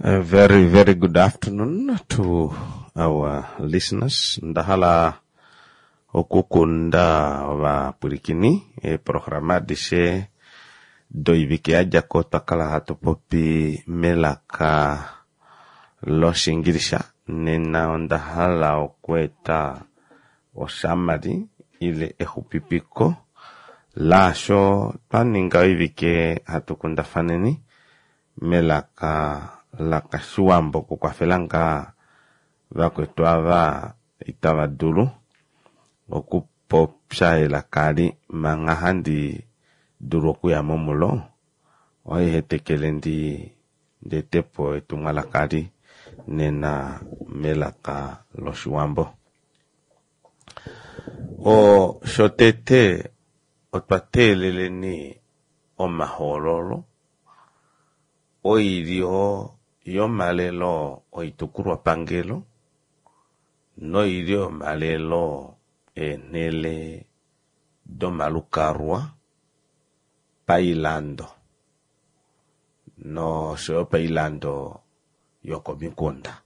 A very, very good afternoon to our listeners. Onda hala okukunda ovapwilikini eeprograma adishe doivike ya dja ko otwa kala hatu popi melaka lOshiingilisha. Nena onda hala okweeta osamali ile exupipiko laasho twa ninga oivike hatu kundafaneni melaka lakashiwambo okukwafela ngaa vakwetu ava itava dulu okupopya elaka eli manga handi dulu okuya mo mulo ohai hetekele ndi etepo etumwalaka eli nena melaka loshiwambo. Shotete otwa teeleleni omahoololo oilyo yomalelo oitukulwapangelo noilyo yomalelo eenhele domalukalwa pailando noshoyo pailando yokomikunda.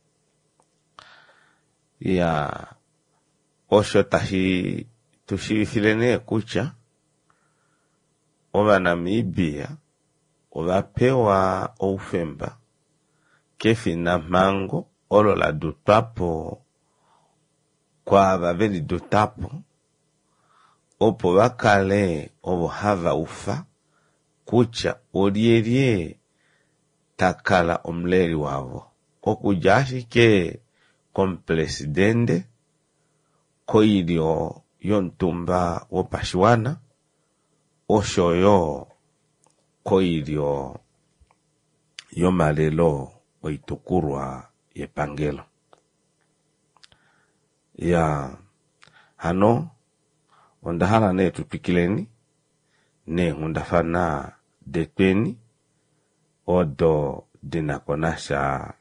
Iyaa osho tashi tu shiivifile nee kutya Ovanamibia ova pewa oufemba kefinamhango olo la dutwa po kwaava veli duta po opo va kale ovo hava ufa kutya olyelye ta kala omuleli wavo okudja ashike komupresidende, koilyo yomutumba wopashiwana oshoyo koilyo yomalelo oitukulwa yepangelo. Iyaa, hano onda hala nee tu twikileni neenghundafana detweni odo di na ko nasha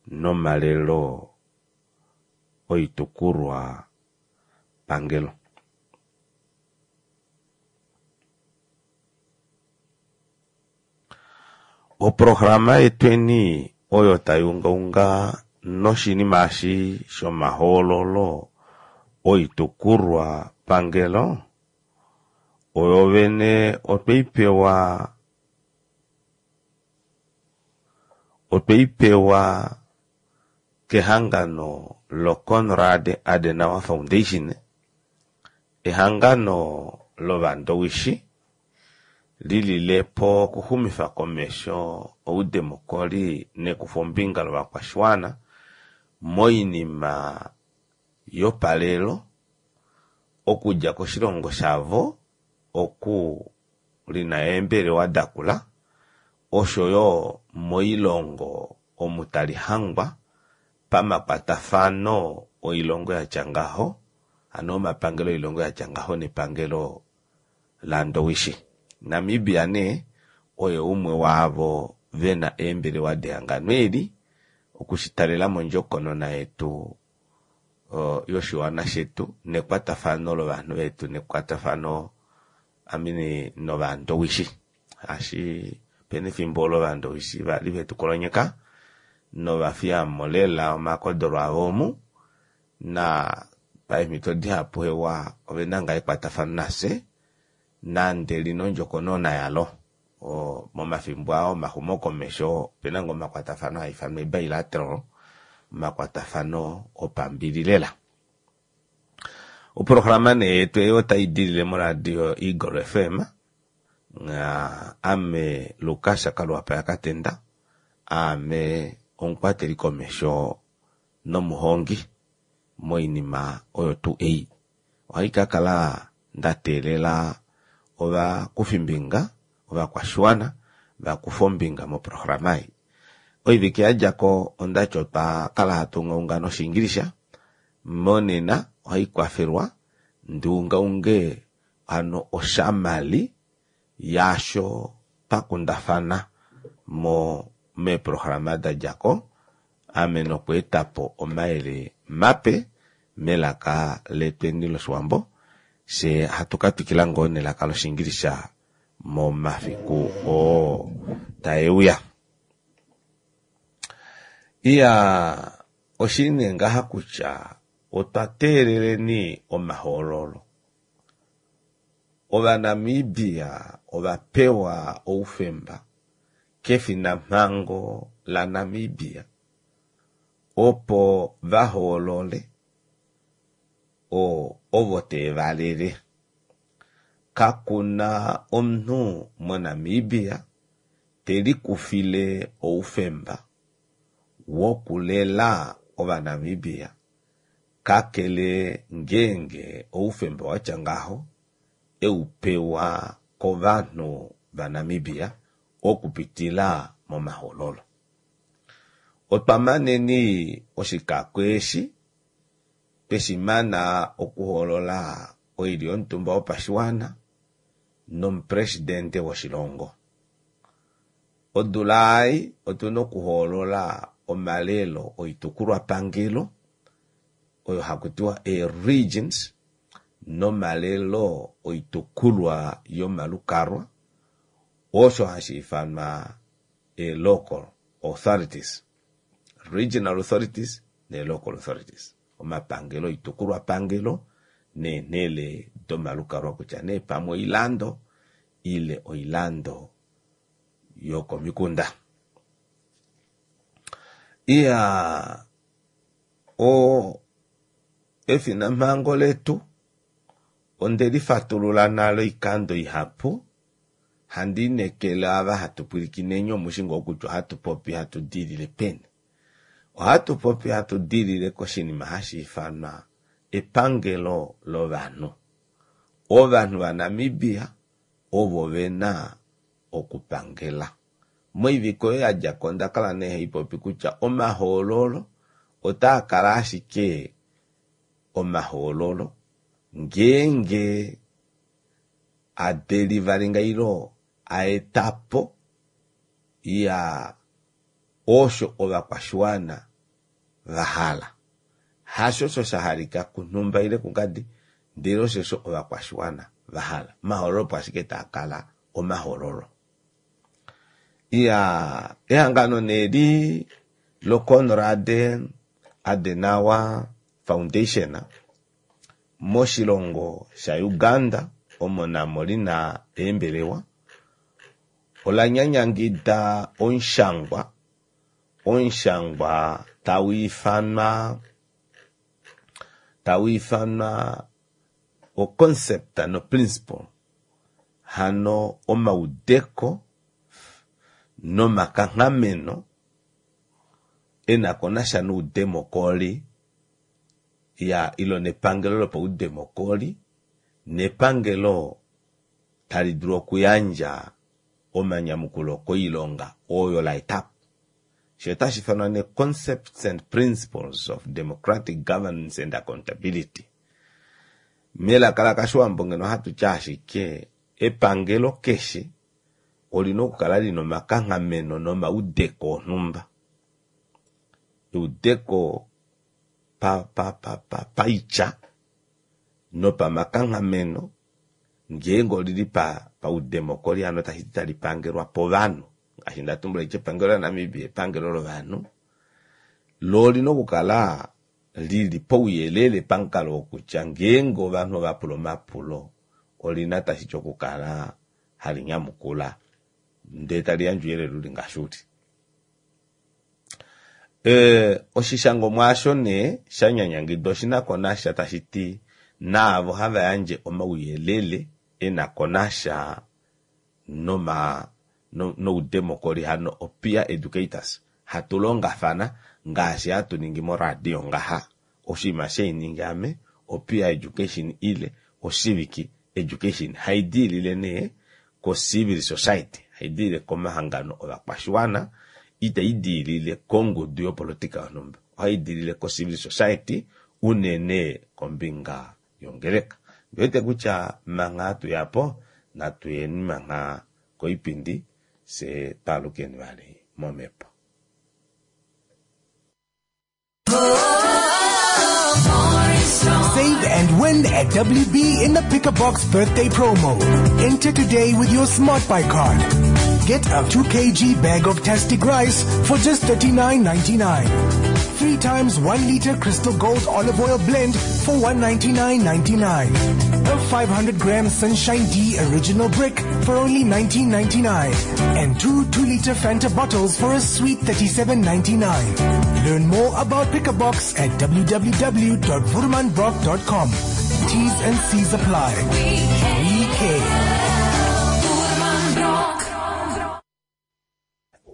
nomalelo oitukulwa pangelo. Oprograma yetweni oyo tai ungaunga noshinima eshi shomahoololo oitukulwa pangelo oyo vene otweipewa otweipewa kehangano loConrad Adenauer Foundation, ehangano lovandowishi lilile po okuxumifa komesho oudemokoli nekufombinga lovakwashiwana moinima yopalelo okudja koshilongo shavo oku lina eembelewa dakula oshoyo moilongo omu tali hangwa pamakwatafano oilongo yatya ngaho hano omapangelo oilongo yatya ngaho nepangelo laNdowishi. Namibia nee oye umwe waavo vena eembelewa dehangano eli okushitalela mondjokonona yetu yoshiwana shetu nekwatafano lovanhu vetu nekwatafano amini novandowishi shaashi opena efimbo olo ovandowishi vali vetu kolonyeka novafiyamo lela omakodolo avo omu na paemhito dihapu hewa ovena ngaa ekwatafano nafye nande lina ondjokonona yalo momafimbo aa omaxumokomesho opena ngoo omakwatafano haa ifanwa ebilateral omakwatafano opambili lela. Oprograma nee yetu ei otai dilile moradio Eagle FM ame Lukas Kaluwapa yaKatenda aame omukwateli komesho nomuhongi moinima oyo tuu ei. Ohai ka kala nda teelela ovakufimbinga ovakwashiwana va kufe ombinga moprograma ei. Oivike ya dja ko ondati otwa kala hatu ungaunga nOshiingilisha, monena ohai kwafelwa ndi ungaunge hano oshamali yaasho twa kundafana mo meeprograma da dja ko ame nokweeta po omayele mape melaka letweni lOshiwambo fye hatu ka twikila ngoo nelaka lOshiingilisha momafiku oo tae uya. Iyaa, oshili nee ngaha kutya otwa teeleleni omahoololo. Ovanamibia ova pewa oufemba kefinamhango laNamibia opo va hoolole ovo teevalele. Kakuna omunhu moNamibia telikufile oufemba wokulela Ovanamibia kakele ngeenge oufemba watya ngaho eu pewa kovanhu vaNamibia okupitila momahoololo. Otwa maneni oshikako eshi tweshi mana okuhoolola oilyo yomutumba wopashiwana nomupresidente woshilongo. Odula ei otuna okuhoolola omalelo oitukulwapangelo oyo haku tiwa ee-regions nomalelo oitukulwa yomalukalwa osho hashi ifanwa ee-local authorities, regional authorities nee-local authorities, omapangelo oitukulwapangelo neenhele domalukalwa kutya nee pamwe oilando ile oilando yokomikunda. Iyaa, o efinamhango letu onde lifatulula nale oikando ihapu, handi inekele ava hatu pwilikineni omushi ngoo kutya ohatu popi hatu diilile peni. Ohatu popi hatu diilile koshinima hashi ifanwa epangelo lovanhu. Ovanhu vaNamibia ovo ve na okupangela. Moivike oyo ya dja ko onda kala nee hai popi kutya omahoololo otaa kala ashike omahoololo ngeenge a delivalinga ilo a eta po ya osho ovakwashiwana va hala. Hasho osho sha halika kunhumba ile kungadi, ndele oshosho ovakwashiwana va hala. Omahoololo opo ashike taa kala omahoololo. Iyaa, ehangano nee li loKonrad Adenauer Foundation moshilongo shaUganda omo namo li na eembelewa, ola nyanyangida omushangwa omushangwa tau ifanwa tau ifanwa oconcept noprinciple hano omaudeko nomakanghameno e na ko nasha noudemokoli ya ilo nepangelo lopaudemokoli nepangelo tali dulu okuyandja omanyamukulo koilonga oyo la eta po. Sho otashi ifanwa nee Concepts and Principles of Democratic Governance and Accountability. Melaka lakashiwambo ngeno ohatu ti ashike epangelo keshe olina okukala lina omakanghameno nomaudeko onhumba. Eudeko pa pa pa pa paitya nopamakanghameno ngeenge olili pa paudemokoli hano tashi ti tali pangelwa povanhu ngaashi nda tumbula kutya epangelo laNamibia epangelo lovanhu lo olina okukala lili pouyelele pamukalo wokutya ngeenge ovanhu ova pula omapulo olina tashi ti okukala hali nyamukula ndee tali yandje ouyelele uli ngaashi uli. E, oshishangomwa osho nee sha nyanyangidwa oshi na ko nasha tashi ti naavo hava yandje omauyelele e na ko nasha noma noudemokoli hano opeer educators hatu longafana ngaashi hatu ningi moradio ngaha oshinima shainingi ame opeer education ile ocivic education hai diilile nee ko-civil society hai diilile komahangano ovakwashiwana itai diilile kongudu yopolotika yonhumba ohai diilile ko-civil society unene kombinga yongeleka ndiwete kutya mangha hatu ya po natu yeni mangha koipindi fye twaalukeni vali momhepo. Save and And win at WB in the Pick a Box birthday promo. Enter today with your Smart Buy card. Get a 2 kg bag of Tastic rice for just $39.99. 3 times 1 liter Crystal Gold olive oil blend for $199.99. A 500 gram Sunshine D original brick for only $19.99. And two 2 liter Fanta bottles for a sweet $37.99. Learn more about Pick a Box at www.voermanbrock.com. T's and C's apply. We care.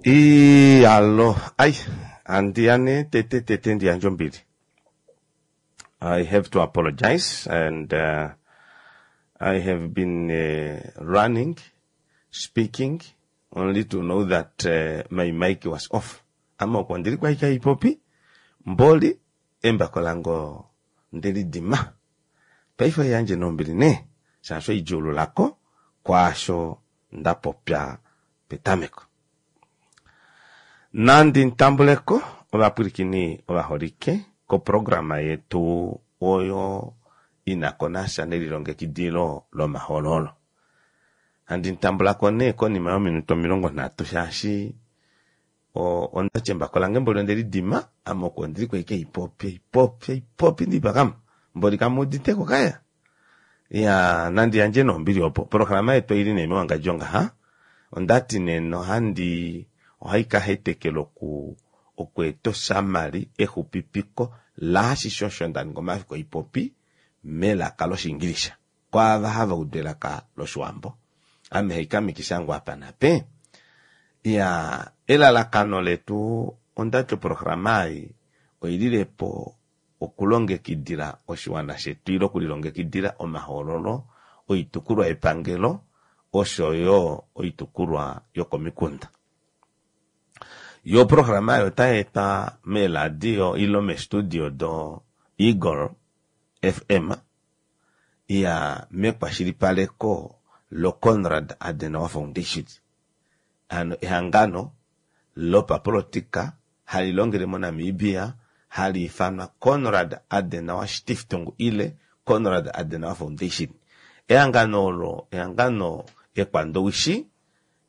Iyalo, ai, andiyane tete tete ndiyandje ombili. I have to apologize and I have been running, speaking, only to know that my mic was off. Ame oko ndili kwaika ipopi, mboli, embako lange ndeli dima. Paife yandje nombili nee, shaashi oidjuululako kwaasho nda popya petameko. Nandi ntambuleko ovapwilikini ovaholike koprograma yetu oyo ina ko nasha nelilongekidilo lomahoololo. Handi ntambulako nee konima yominute 30 shaashi ondati embako lange mboli onde lidima, ame oko ndili kwaike ipopi ipopi ipopi ndipakamo mboli kamuuditeko kaya. Ya nandi yandje nombili opo oprograma yetu oili nee mewangadjo ngaha. Ondati nee nohandi ohaikahetekela oku okweeta osamali exupipiko laashishe osho ndaninga omafiku oipopi melaka loshiingilisha kwaava hava udu elaka loshiwambo. Ame haikamikisha ngoo apa nape. Iya, elalakano letu ondati oprograma ei oililepo okulongekidila oshiwana shetu ile okulilongekidila omahoololo oitukulwa yepangelo oshoyo oitukulwa yokomikunda. Yo oprograma oyo otai etwa meeladio ile meestudio do Eagle FM ya mekwashilipaleko loConrad Adenauer Foundation, hano ehangano lopapolitika hali longele moNamibia hali ifanwa Konrad Adenauer Stiftung ile Konrad Adenauer Foundation. Ehangano olo ehangano ekwandowishi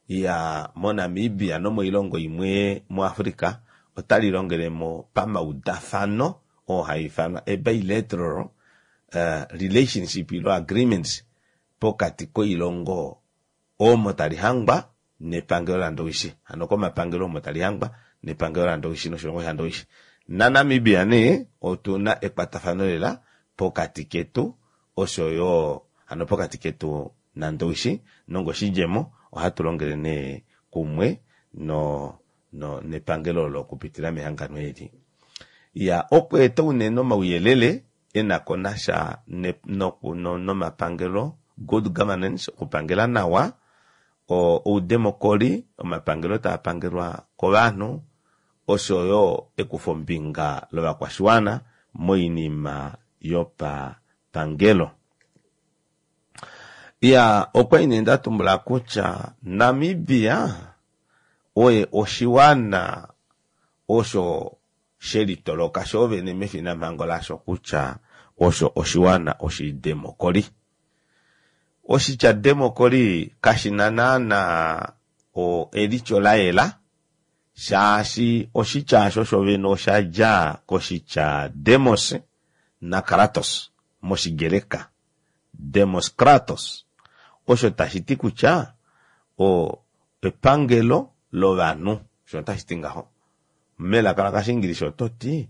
ya moNamibia nomoilongo imwe muAfrica otali longelemo pamaudafano oo haifanwa a bilateral relationship ilo agreements pokati koilongo omo tali hangwa nepangelo laNdowishi. Hano komapangelo omo tali hangwa nepangelo laNdowishi noshilongo shaNdowishi. NaNamibia nee otuna ekwatafano lela pokati ketu oshoyo hano pokati ketu naNdowishi nongoshidjemo ohatu longele nee kumwe no no nepangelo olo okupitila mehangano eli. Ya okweeta unene omauyelele enako nasha nomapangelo, good governance, okupangela nawa, oudemokoli, omapangelo taa pangelwa kovanhu, oshoyo ekufombinga lovakwashiwana moinima yopapangelo. Ya okwa ine nda tumbula kutya Namibia oye oshiwana osho shelitoloka shoovene mefinamhango lasho kutya osho oshiwana oshidemokoli. Oshitya demokoli kashina naana elityo la yela, shaashi oshitya osho shovene osha dja koshitya demos nakratos moshigreka, demos kratos, osho tashi ti kutya epangelo lovanhu, osho tashi ti ngaho. Melaka lakashiingilisha oto ti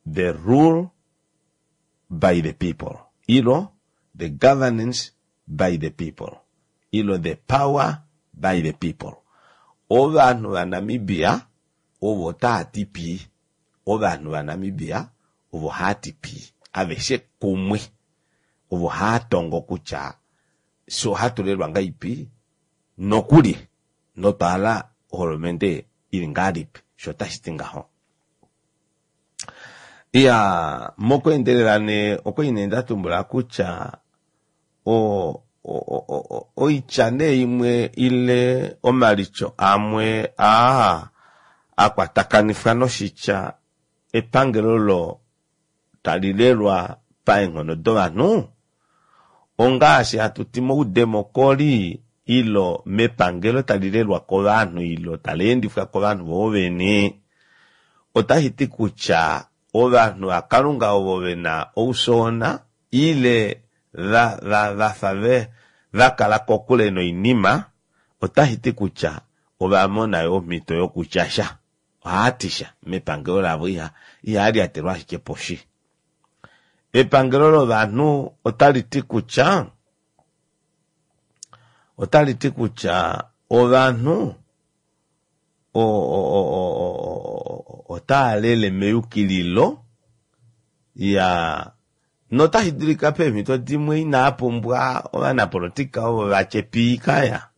the rule by the people, ilo the governance by the people, ilo the power by the people. Ovanhu vaNamibia ovo taa ti pii, ovanhu vaNamibia ovo haa ti pii, aveshe kumwe ovo haa tongo kutya fye ohatu lelwa ngaipi nokuli notwahala oholomente ili ngahelipi, sho otashi ti ngaho. Iya, mokweendelela nee okwa ine nda tumbula kutya oitya nee imwe ile omalityo amwe aa akwatakanifwa noshitya epangelo olo tali lelwa paenghono dovanhu, ongaashi hatu ti moudemokoli ilo mepangelo tali lelwa kovanhu ilo tali endifwa kovanhu voo vene, otashi ti kutya ovanhu vaKalunga ovo ve na oufyoona ile va, va, va fa ve, va kala kokule noinima, otashi ti kutya ova mona yo omhito yokutya sha. Ohava ti sha mepangelo lavo, iha, ihaa lyatelwa ashike poshi. Epangelo lovanhu otali ti kutya, otali ti kutya ovanhu otava lele meyukililo ya notashi dulika peemhito dimwe inaa pumbwa ovanapolotika ovo va tye pii kaya.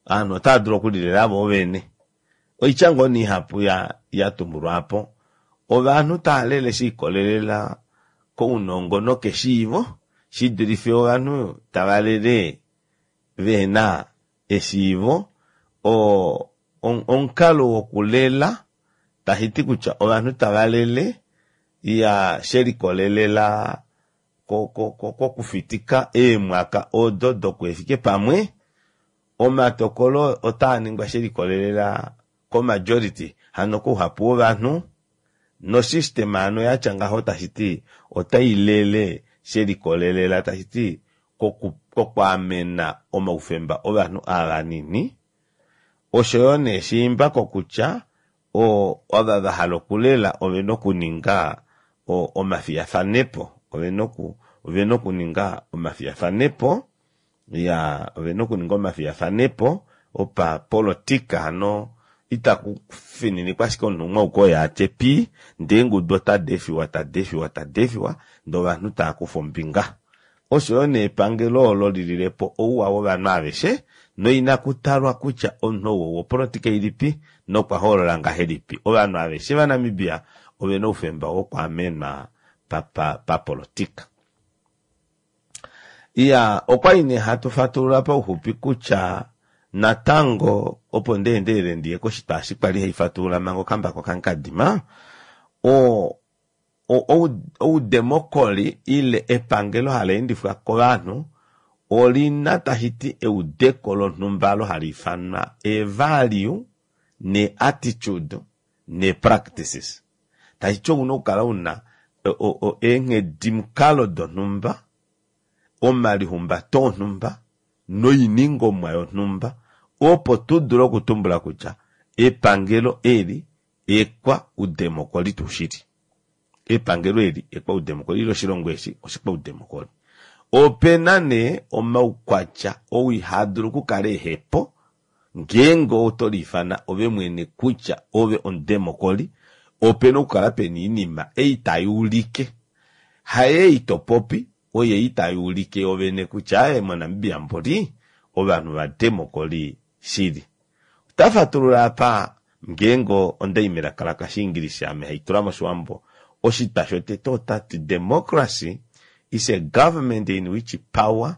Ovanhu otava dulu okulilela vo vene. Oitya ngoo nee ihapu ya ya tumbulwa apo. Ovanhu tava lele she ikolelela kounongo nokeshiivo shi dulife ovanhu tava lele vehena eshiivo, oo omukalo wokulela, tashi ti kutya ovanhu tava lele ya she likolelela kokufitika eemwaka odo dokuhefike pamwe, omatokolo otaa ningwa she likolelela komajority, hano kouhapu wovanhu, nosystem hano yatya ngaho tashi ti otai lele she likolelela tashi ti kokwaamena omaufemba ovanhu aa vanini, osho yo nee shiimba kokutya ova va hala okulela ove na okuninga omafiyafanepo, ove na okuninga omafiyafanepo, ya ove na okuninga omafiyafanepo opapolotika, hano itaku fininikwa ashike omunhu umwe auke oye a tye pii, ndee eengudu otadi efiwa, tadi efiwa, tadi efiwa, ndee ovanhu tava kufa ombinga. Osho yo nee epangelo olo li lile po ouwa wovanhu aveshe, noinaku talwa kutya omunhu ou owopolotika ilipi nokwa hoolola ngahelipi. Ovanhu aveshe vaNamibia ove na oufemba wokwaamenwa papolotika. Iya, okwali nee hatu fatulula pauxupi kutya natango opo ndi endelele ndiye koshitwa eshi kwali hai fatulula manga okambako kange kadima, o, oudemokoli ile epangelo hali endifwa kovanhu oli na tashi ti eudeko lonhumba olo hali ifanwa eevalue neeattitude neepractices. Tashi ti ou na okukala u na eenghedimukalo donhumba, omalihumbato onhumba noiningomwa yonhumba opo tu dule okutumbula kutya epangelo eli ekwaudemokoli tuu shili. Epangelo eli ekwaudemokoli ile oshilongo eshi oshikwaudemokoli. Ope na nee omaukwatya oo ihaa dulu okukala ehe po ngeenge oto liifana ove mwene kutya ove omudemokoli, ope na okukala pe na oinima ei tai ulike, haei to popi, oyei tai ulike yovene kutya aaye moNamibia mboli ovanhu vademokoli shili. Ota fatulula apa, ngeenge onda i melaka lakashiingilisha ame hai tula moshiwambo, oshitwa shotete ota ti democracy is a government in which power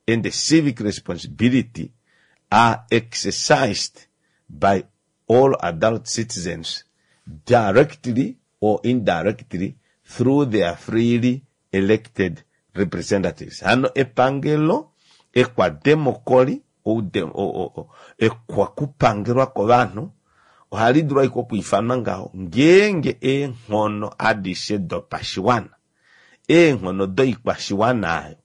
and civic responsibility are exercised by all adult citizens directly or indirectly through their freely elected representatives. Hano epangelo ekwademokoli, ekwakupangelwa kovanhu, ohali dulu ashike okwiifanwa ngaho ngeenge eenghono adishe dopashiwana, eenghono doikwashiwana ayo,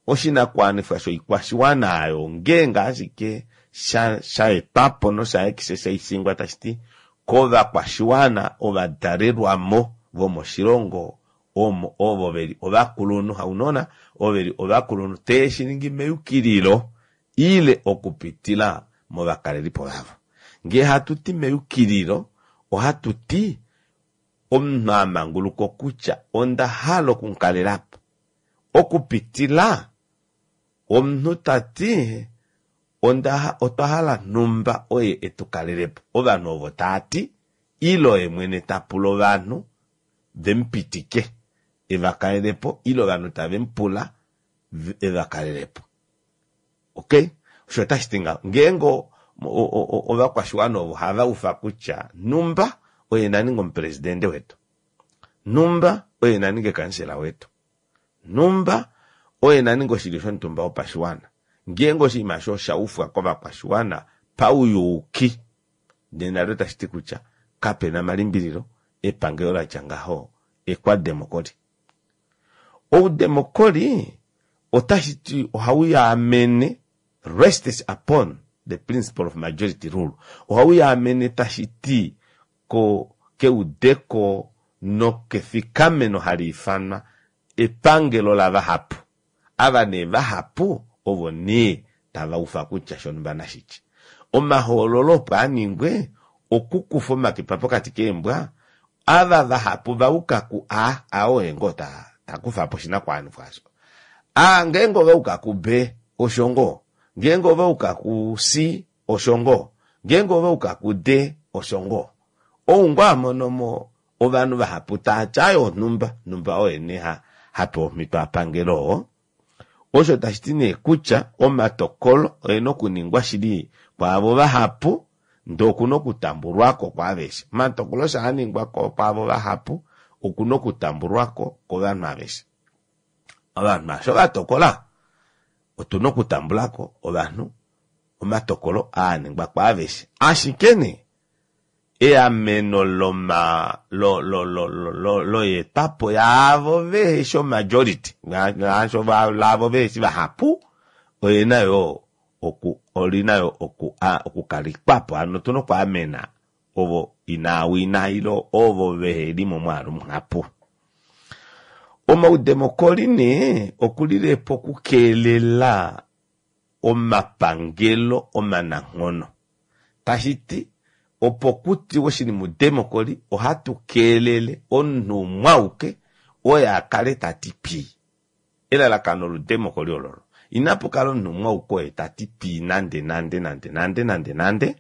Oshinakuwanifwa shoikwashiwana oyo ongeenge ashike sha sha etwa po nosha exercisingwa tashi ti kovakwashiwana ovadalelwamo vomoshilongo omo ovo ve li ovakulunhu, haunona, ovo ve li ovakulunhu tee shi ningi meyukililo ile okupitila movakalelipo vavo. Ngee hatu ti meyukililo, ohatu ti omunhu a manguluka okutya onda hala okumukalela po. Okupitila omunhu ta ti, Onda, otwa hala nhumba oye e tu kalele po. Ovanhu ovo taa ti, ile oye mwene ta pula ovanhu ve mu pitike e va kalele po, ile ovanhu tave mu pula e va kalele po. Ok? Osho otashi ti ngaho. Ngeenge ovakwashiwana ovo hava ufa kutya nhumba oye na ninge omupresidente wetu, Nhumba oye na ninge kansela wetu. Nhumba oye na ninge oshilyo shomutumba wopashiwana. Ngeenge oshinima osho osha ufwa kovakwashiwana pauyuuki, nena otashi ti kutya kape na malimbililo epangelo la tya ngaho ekwademokoli. Oudemokoli otashi ti ohau yaamene rests upon the principle of majority rule. Ohau yaamene tashi ti ko keudeko nokefikameno hali ifanwa epangelo lavahapu. Ava nee vahapu ovo nee tava ufa kutya shonumba nashi tye. Omahoololo opo a ningwe okukufa omakipa pokati keembwa, ava vahapu va uka ku A, A oye ngoo ta, ta kufa po oshinakuwanifwa osho. A ngeenge ova uka ku B, osho ngoo. Ngeenge ova uka ku C, osho ngoo. Ngeenge ova uka ku D, osho ngoo. Ou ngoo a mono mo ovanhu vahapu taa ti aye onhumba, nhumba oye nee ha, ha pewa omhito a pangele oo. Osho tashi ti nee kutya omatokolo oe na okuningwa shili kwaavo vahapu, ndee oku na okutambulwa ko kwaaveshe. Omatokolo osho a ningwa kwaavo vahapu, oku na okutambulwa ko kovanhu aveshe. Ovanhu asho va tokola, otu na okutambula ko ovanhu omatokolo aa a ningwa kwaaveshe. Ashike nee, eameno loma lo lo lo lo loyeetwapo yaavo veheshi omajority ngaasho laavo veheshi vahapu oyena yoo oku olina yo oku a okukalikwapo hano otuna okwaamena ovo inaawina ile ovo veheli momwaalu muhapu. Omaudemokoli nee okulilepo okukeelela omapangelo omananghono. Tashi ti, opo ku tiwe oshinima udemokoli, ohatu keelele omunhu umwe auke oye a kale ta ti pii. Elalakano lodemokoli ololo. Inapu kala omunhu umwe auke oye ta ti pii nande nande nande nande nande nande,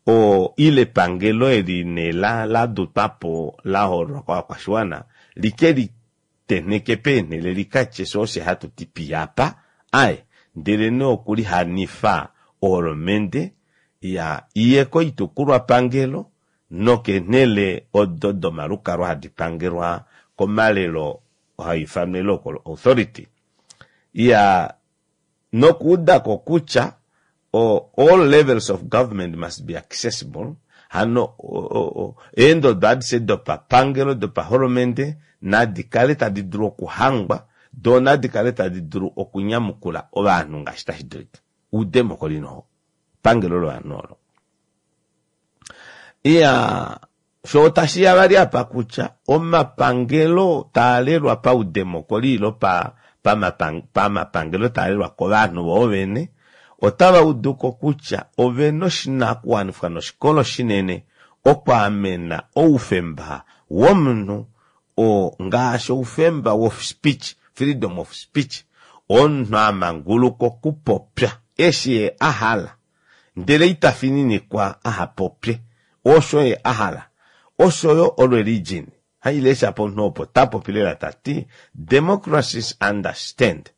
o, ile epangelo eli nee la, la dutwa po la hoololwa kovakwashiwana li ke li tenheke peenhele li ka tye sho oshe hatu ti pii apa, aye, ndelenee okulihanifa oholomende ya iye koitukulwapangelo nokeenhele odo domalukalwa hadi pangelwa komalelo haa ifanwa local authority, ya nokuuda ko kutya all levels of government must be accessible, hano eendodo adishe dopapangelo dopaholomende nadi kale tadi dulu okuhangwa, doo nadi kale tadi dulu okunyamukula ovanhu ngaashi tashi dulika. Oudemokoli noho pangelo lovanhu olo. Iya, Sho otashi ya vali apa kutya omapangelo taa lelwa paudemokoli ilo pa, pamapangelo taa lelwa kovanhu voo vene, otava udu ko kutya ove na oshinakuwanifwa noshikolo shinene okwaamena oufemba womunhu oo ngaashi oufemba wof speech, freedom of speech, omunhu a manguluka okupopya eshi ye a hala. ndele ita fininikwa aha popye osho ye a hala. Osho yo oreligion hai lesha pomunhu opo ta popi lela ta ti, Democracies understand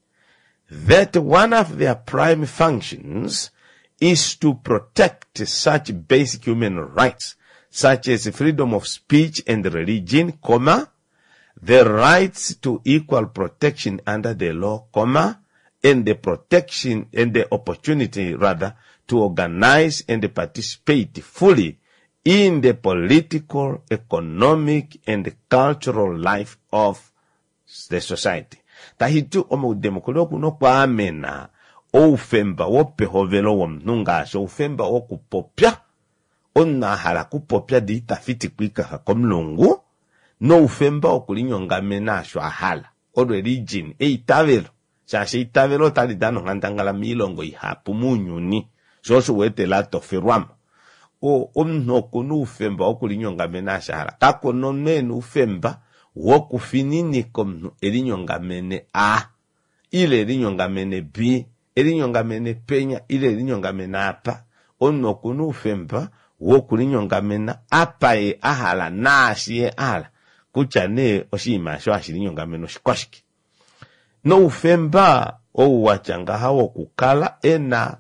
that one of their prime functions is to protect such basic human rights such as freedom of speech and religion, comma, the rights to equal protection under the law, comma, and the protection and the opportunity rather to organize and participate fully in the political, economic and cultural life of the society. Tashi ti omaudemokoli oku na okwaamena oufemba wopehovelo womunhu ngaashi oufemba wokupopya, omunhu a hala okupopya ndee ita fitikwa oikafa komulungu, noufemba wokulinyongamena osho a hala. Oreligion, eitavelo, shaashi eitavelo otali dana onghandangala moilongo ihapu mounyuni, sho osho u wete la tofelwa mo. O, omunhu oku na oufemba wokulinyongamena osho a hala. Kaku na omunhu e na oufemba wokufininika omunhu e linyongamene A, ile e linyongamene B, e linyongamene penya ile e linyongamene apa. Omunhu oku na oufemba wokulinyongamena apa ye a hala naashi ye a hala, kutya nee oshinima osho hashi linyongamene oshikwashike. Noufemba ou wa tya ngaha wokukala e na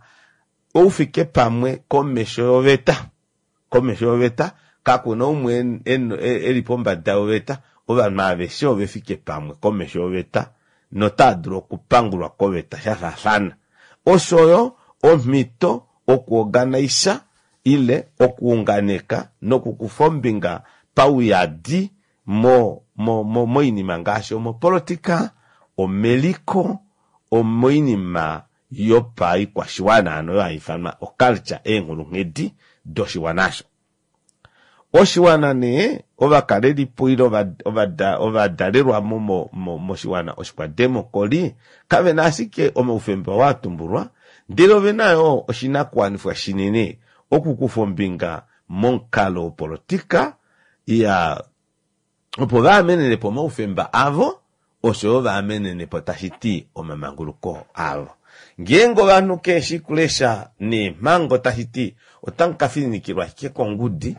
oufikepamwe komesho yoveta, komesho yoveta kaku na umwe e li pombada yoveta. ovanhu aveshe ove fike pamwe komesho yoveta notaa dulu okupangulwa koveta sha faafana. Osho yo omhito okuorganisa ile okuunganeka nokukufa ombinga pauyadi mo, mo, mo, moinima ngaashi omopolotika, omeliko, omoinima yopaikwashiwana, hano oyo hai ifanwa oculture, eenghulunghedi doshiwana osho. Oshiwana nee, ovakalelipo ile ovadalelwa mo moshiwana oshikwademokoli kave na ashike omaufemba oo a tumbulwa, ndele ove na yo oshinakuwanifwa shinene okukufa ombinga momukalo wopolotika ya opo va amenene po omaufemba avo osho yo va amenene po tashi ti omamanguluko avo. Ngeenge ovanhu keeshi kulesha neemhango tashi ti otamu ka fininikilwa ashike kongudi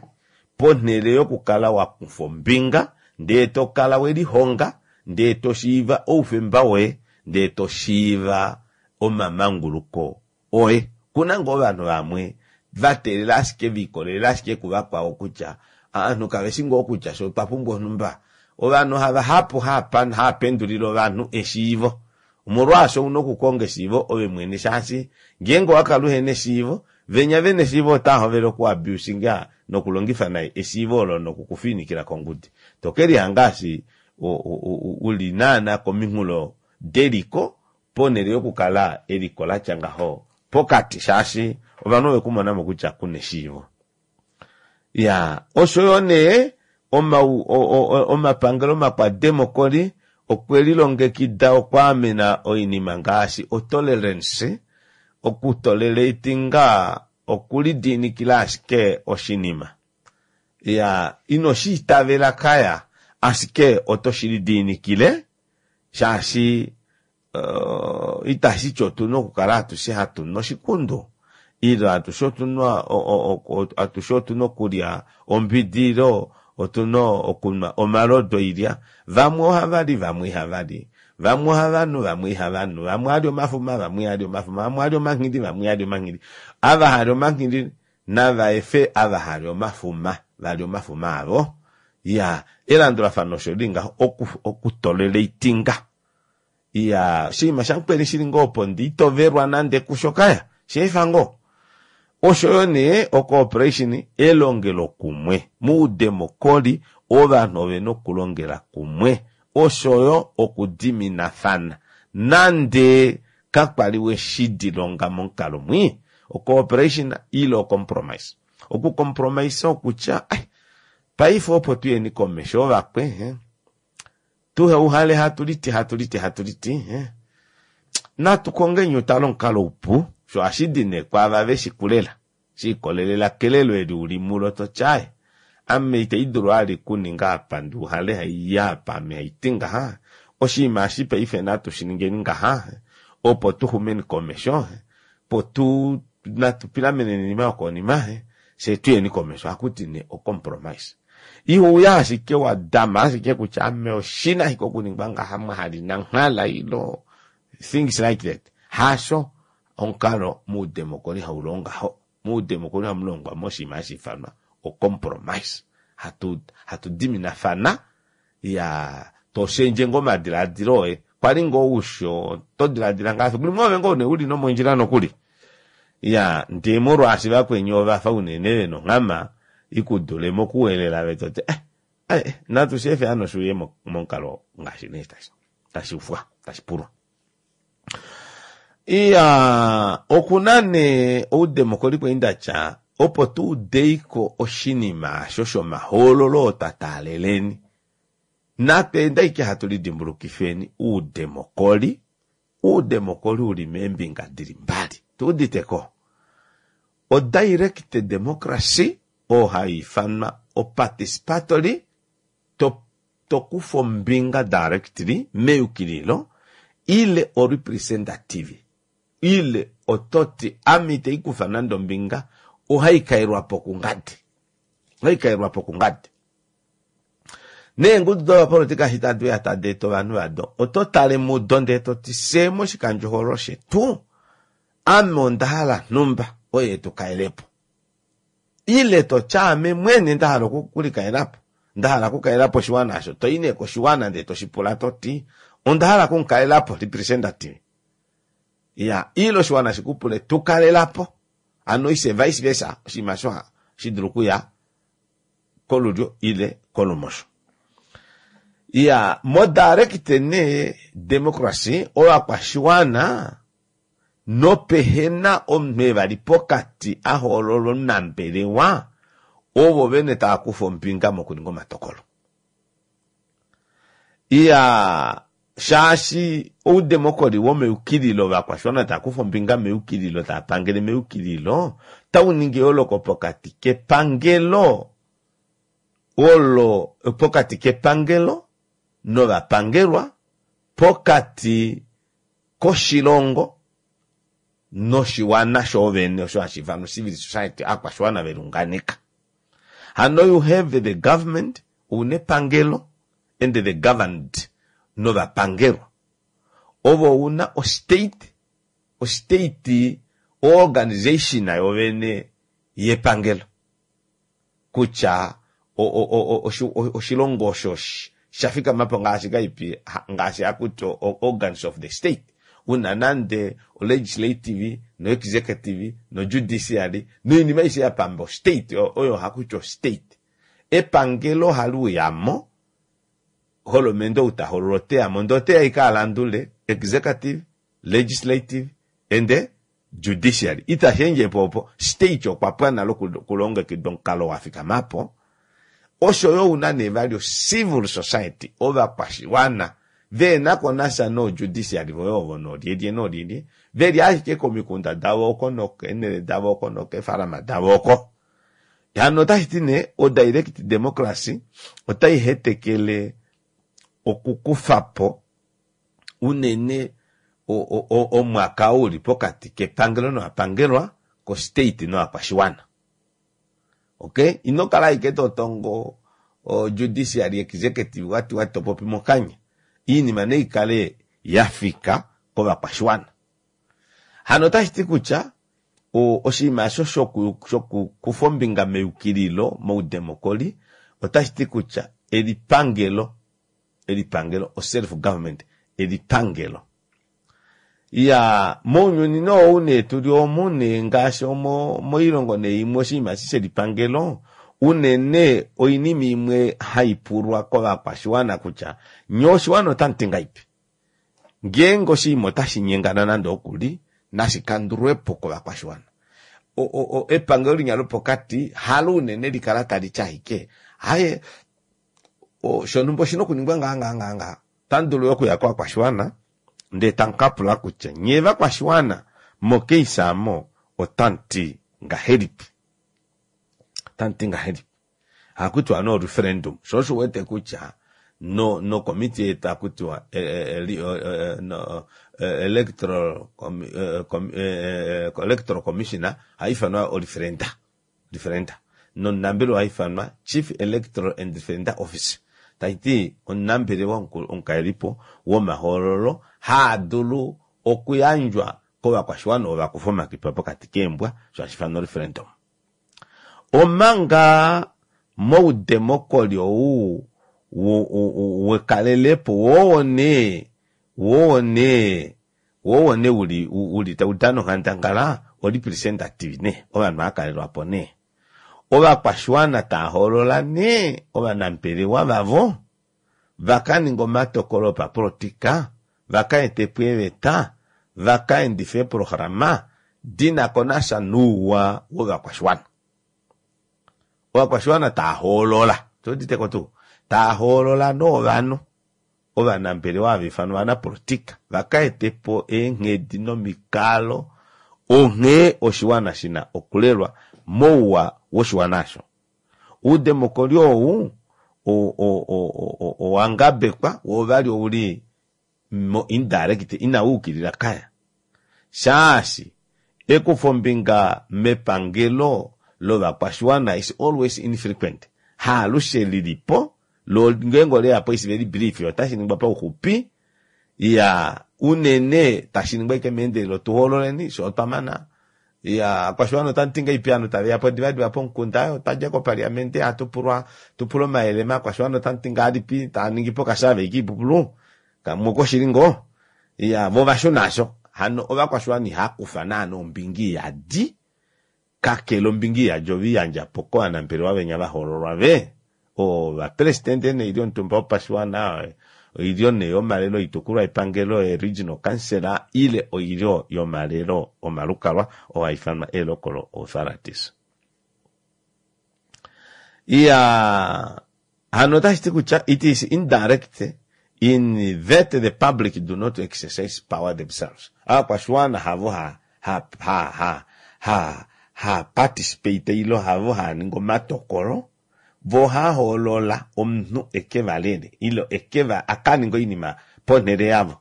ponhele yokukala wa kufa ombinga ndee to kala we lihonga ndee to shiiva oufemba woye ndee to shiiva omamanguluko oye. Okuna ngoo ovanhu vamwe va teelela ashike ve ikolelela ashike kuvakwao kutya ovanhu kave shi ngoo kutya fye otwa pumbwa onhumba. Ovanhu havahapu hava pendulile ovanhu eshiivo. Omolwaasho una okukonga eshiivo ove mwene shaashi ngeenge owa kala uhena eshiivo, venya vena eshiivo otava hovele oku abusinga nokulongifa nai eshiivo olo noku ku fiinikila kongudi. To ke lihanga eshi uli naana kominghulo deliko ponhele yokukala eliko la tya ngaho pokati shaashi ovanhu ove ku mona mo kutya ku na eshiivo. Ya, osho yo nee omapangelo makwademokoli okwe lilongekida okwaamena oinima ngaashi otolerance, okutoleratinga okulidiinikila ashike oshinima. Ya, ino shi itavela kaya, ashike oto shi lidiinikile shaashi uh, itashi ti otu na okukala atushe hatu nu oshikundu ile atushe otu na atushe otu na okulya ombidi ile otu na okunwa omalodu oilya. Vamwe ohava li, vamwe ihava li. Vamwe ohava nu, vamwe ihava nu. Vamwe ohali omafuma, vamwe ihali omafuma. Vamwe ohali omanghili, vamwe ihali omanghili. Ava hali omanghili nava efe ava hali omafuma va lye omafuma avo. Ya, elandulafano osho li ngaho, oku, okutoleratinga. Iya, oshinima shamukweni shili ngoo opo ndi itovelwa nande kusho kaya, shi efa ngoo. Osho yo nee ocooperation, elongelokumwe. Moudemokoli ovanhu ove na okulongela kumwe osho yo okudiminafana nande kakwa li we shi dilonga momukalo mwii. Ocooperation ile ocompromise. Okucompromise okutya, ai, paife opo tu yeni komesho ovakwe, Tuhe uhale hatu liti hatu liti hatu liti eh. Natu kongeni utale omukalo upu, sho ohashi di nee kwaava ve shi kulela, shi ikolelela kelelo eli u li mulo to ti aye, ame itai dulu ali kuninga apa ndi uhale hai ya apa ame hai ti ngaha, oshinima eshi paife natu shi ningeni ngaha opo tu xumeni komesho, po tu natu pilameneni oinima yokonima fye tu yeni komesho, ohaku ti nee ocompromise. Iho uya ashike wa dama ashike kutya ame oshina ashike okuningwa ngaha mwahali nanghala ilo things like that. Hasho omukalo moudemokoli hau longo ngaho. Moudemokoli ohamu longwa moshinima hashi ifanwa ocompromise. Hatu hatu diminafana ya to shendje ngoo omadilaadilo oye. Kwali ngoo usho oto dilaadila ngaa fiku limwe ove ngoo nee uli nomondjila nokuli. Ya ndee molwaashi vakweni ovafa unene vena onghama ikudule mokuwelela ve toti eh, eh, natu shi efe hano shi uye momukalo ngaashi nee tashi tashi ufwa tashi pulwa. Iya, oku na nee oudemokoli kwali nda tya opo tu udeiko oshinima asho shomahoololo oo twa taaleleni, natu ende ashike hatu lidimbulukifeni oudemokoli, oudemokoli u li meembinga di li mbali. Tu udite ko? O-direct democracy oo hai ifanwa o-participatory, to to kufa ombinga directly meyukililo ile o-representative ile oto ti ame itei kufa nande ombinga, ohai kaelwa po kungadi. Ohai kaelwa po kungadi. Neengudu dovapolitika eshi tadi uya tadi eta ovanhu vado, oto tale mudo ndee to ti fye moshikandjohoololo shetu ame onda hala nhumba oye tu kaele po. Ile to tya ame mwene nda hala okulikaela po. Nda hala okukalela po oshiwana osho, to i nee koshiwana ndee to shi pula to ti, onda hala okumukalela po, representative. Iya, ile oshiwana shi ku pule, tu kalela po. Hano ise vice versa, oshinima osho ohashi dulu okuya kolulyo ile kolumosho. Iya, modirect nee democracy, ovakwashiwana Nopehena omunhu evali pokati a hoololwa omunambelewa, ovo vene tava kufa ombinga mokuninga omatokolo. Iya, shaashi oudemokoli womeyukililo ovakwashiwana tava kufa ombinga meyukililo, tava pangele meyukililo, otau ningi eyooloko pokati kepangelo olo, pokati kepangelo novapangelwa, pokati koshilongo noshiwana shoovene osho hashi ifanwa civil society aakwashiwana veliunganeka. Hano you have the government, ouna epangelo and the governed novapangelwa. Ove ouna o state, o state o organisation yovene yepangelo. Kutya oshilongo osho sha fikama po ngaashi kaipi ngaashi hakuti organs of the state una nande o legislative no executive no judiciary noinima aishe ya pamba o state oyo hakuti o state. Epangelo ohali uyamo, holomende ou ta hoolola oteyamo ndee oteya ashike alandule executive, legislative and Judiciary itashi endje po opo, state okwa pwa nale okulongekida omukalo wa fikama po, osho yo ouna nee vali o civil society, ovakwashiwana vehena ko nasha noo judiciary voye ovo noolyelye noolyelye, veli ashike komikunda davo oko nokeenhele davo oko nokeefalama davo oko. Hano otashi ti nee o direct democracy otai hetekele okukufa po unene omwaka oo uli pokati kepangelo novapangelwa, ko state novakwashiwana. Okay, ino kala ashike to tongo o judiciary, executive wati wati to popi mokanya. Iinima nei kale ya fika kovakwashiwana. Hano otashi ti kutya oshinima osho shokukufa ombinga meyukililo moudemokoli otashi ti kutya elipangelo elipangelo o self government elipangelo. Iyaa mounyuni nee ou nee tuli omu nee ngaashi omo moilongo nee imwe oshinima eshi shelipangelo unene oinima imwe haipulwa kovakwashiwana kutya nyee oshiwana otamuti ngahaipi? Ngeenge oshinima otashi nyengana nande okuli nashi kandulwepo kovakwashiwana. Epangelo linya lopokati halo unene likala taliti ashike aaye shonhumba oshina okuningwa ngaha ngaha ngaha ngaha. Otamu dulu yo okuya kovakwashiwana ndee tamu ka pula kutya nyee vakwashiwana mocase aamo otamu ti ngahelipi? Otamu ti ngahelipi? Ohaku tiwa nee oreferendum, sho osho u wete kutya no nokomitiye yetu ohaku tiwa electoral electoral commissioner ohai ifanwa oreferenda. Referenda nomunambelewa oha ifanwa Chief Electoral and Referenda Officer, tashi ti omunambelewa omukalelipo womahoololo haa dulu okuyandjwa kovakwashiwana ovo va kufa omakipa pokati keembwa, osho hashi ifanwa oreferendum. Omanga moudemokoli ou wekalelepo woo nee, woo nee Wo owo nee uli uli tau dana onghandangala o representative nee ovanhu hava kalelwa po nee. Ovakwashiwana tava hoolola nee ovanambelewa vavo va ka ninge omatokolo opapolitika, va ka ete po eeveta, va ka endife eeprograma di na ko nasha nouwa wovakwashiwana. Ovakwashiwana tava hoolola, otu udite ko tuu? Tava hoolola nee ovanhu. Ovanambelewa hava ifanwa ovanapolitika va ka ete po eenghedi nomikalo onghee oshiwana shi na okulelwa mouwa woshiwana osho. Oudemokoli ou owa ngabekwa woo vali ouli mo indirect inau yukilila kaya shaashi ekufombinga mepangelo lovakwashiwana is always infrequent, haalushe li li po Lo ngeenge ole ya po is very brief, otashi ningwa pauxupi, iya, unene tashi ningwa ashike meendelelo, tu hoololeni, fye otwa mana. Iyaa, ovakwashiwana otamu ti ngahelipi ovanhu taveya po divadiva pomukunda aaye otwadja kopaliamente hatu pulwa tupule omayele maakwashiwana otamu ti ngahelipi taaningipo okasurvey koipupulu kamwe okoshili ngoo iyaa voo ovashuna aasho hano ovakwashiwana ihaakufa naana ombinga iyadi kakele ombinga iyadi oveiyandja po kovanambelewa venya vahoololwa ve ovapresidente noilyo yomutumba wopashiwana oilyo nee yomalelo oitukulwa yepangelo ee-regional council ile oilyo yomalelo omalukalwa oo haifanwa ee-local authorities. Iyaa, hano otashi ti kutya it is indirect in that the public do not exercise power themselves. Aakwashiwana havo ha ha ha ha ha ha participate ile havo haa ningi omatokolo Vo ohava hoolola omunhu e ke va lele, ile e ke va, a ka ninge oinima ponhele yavo.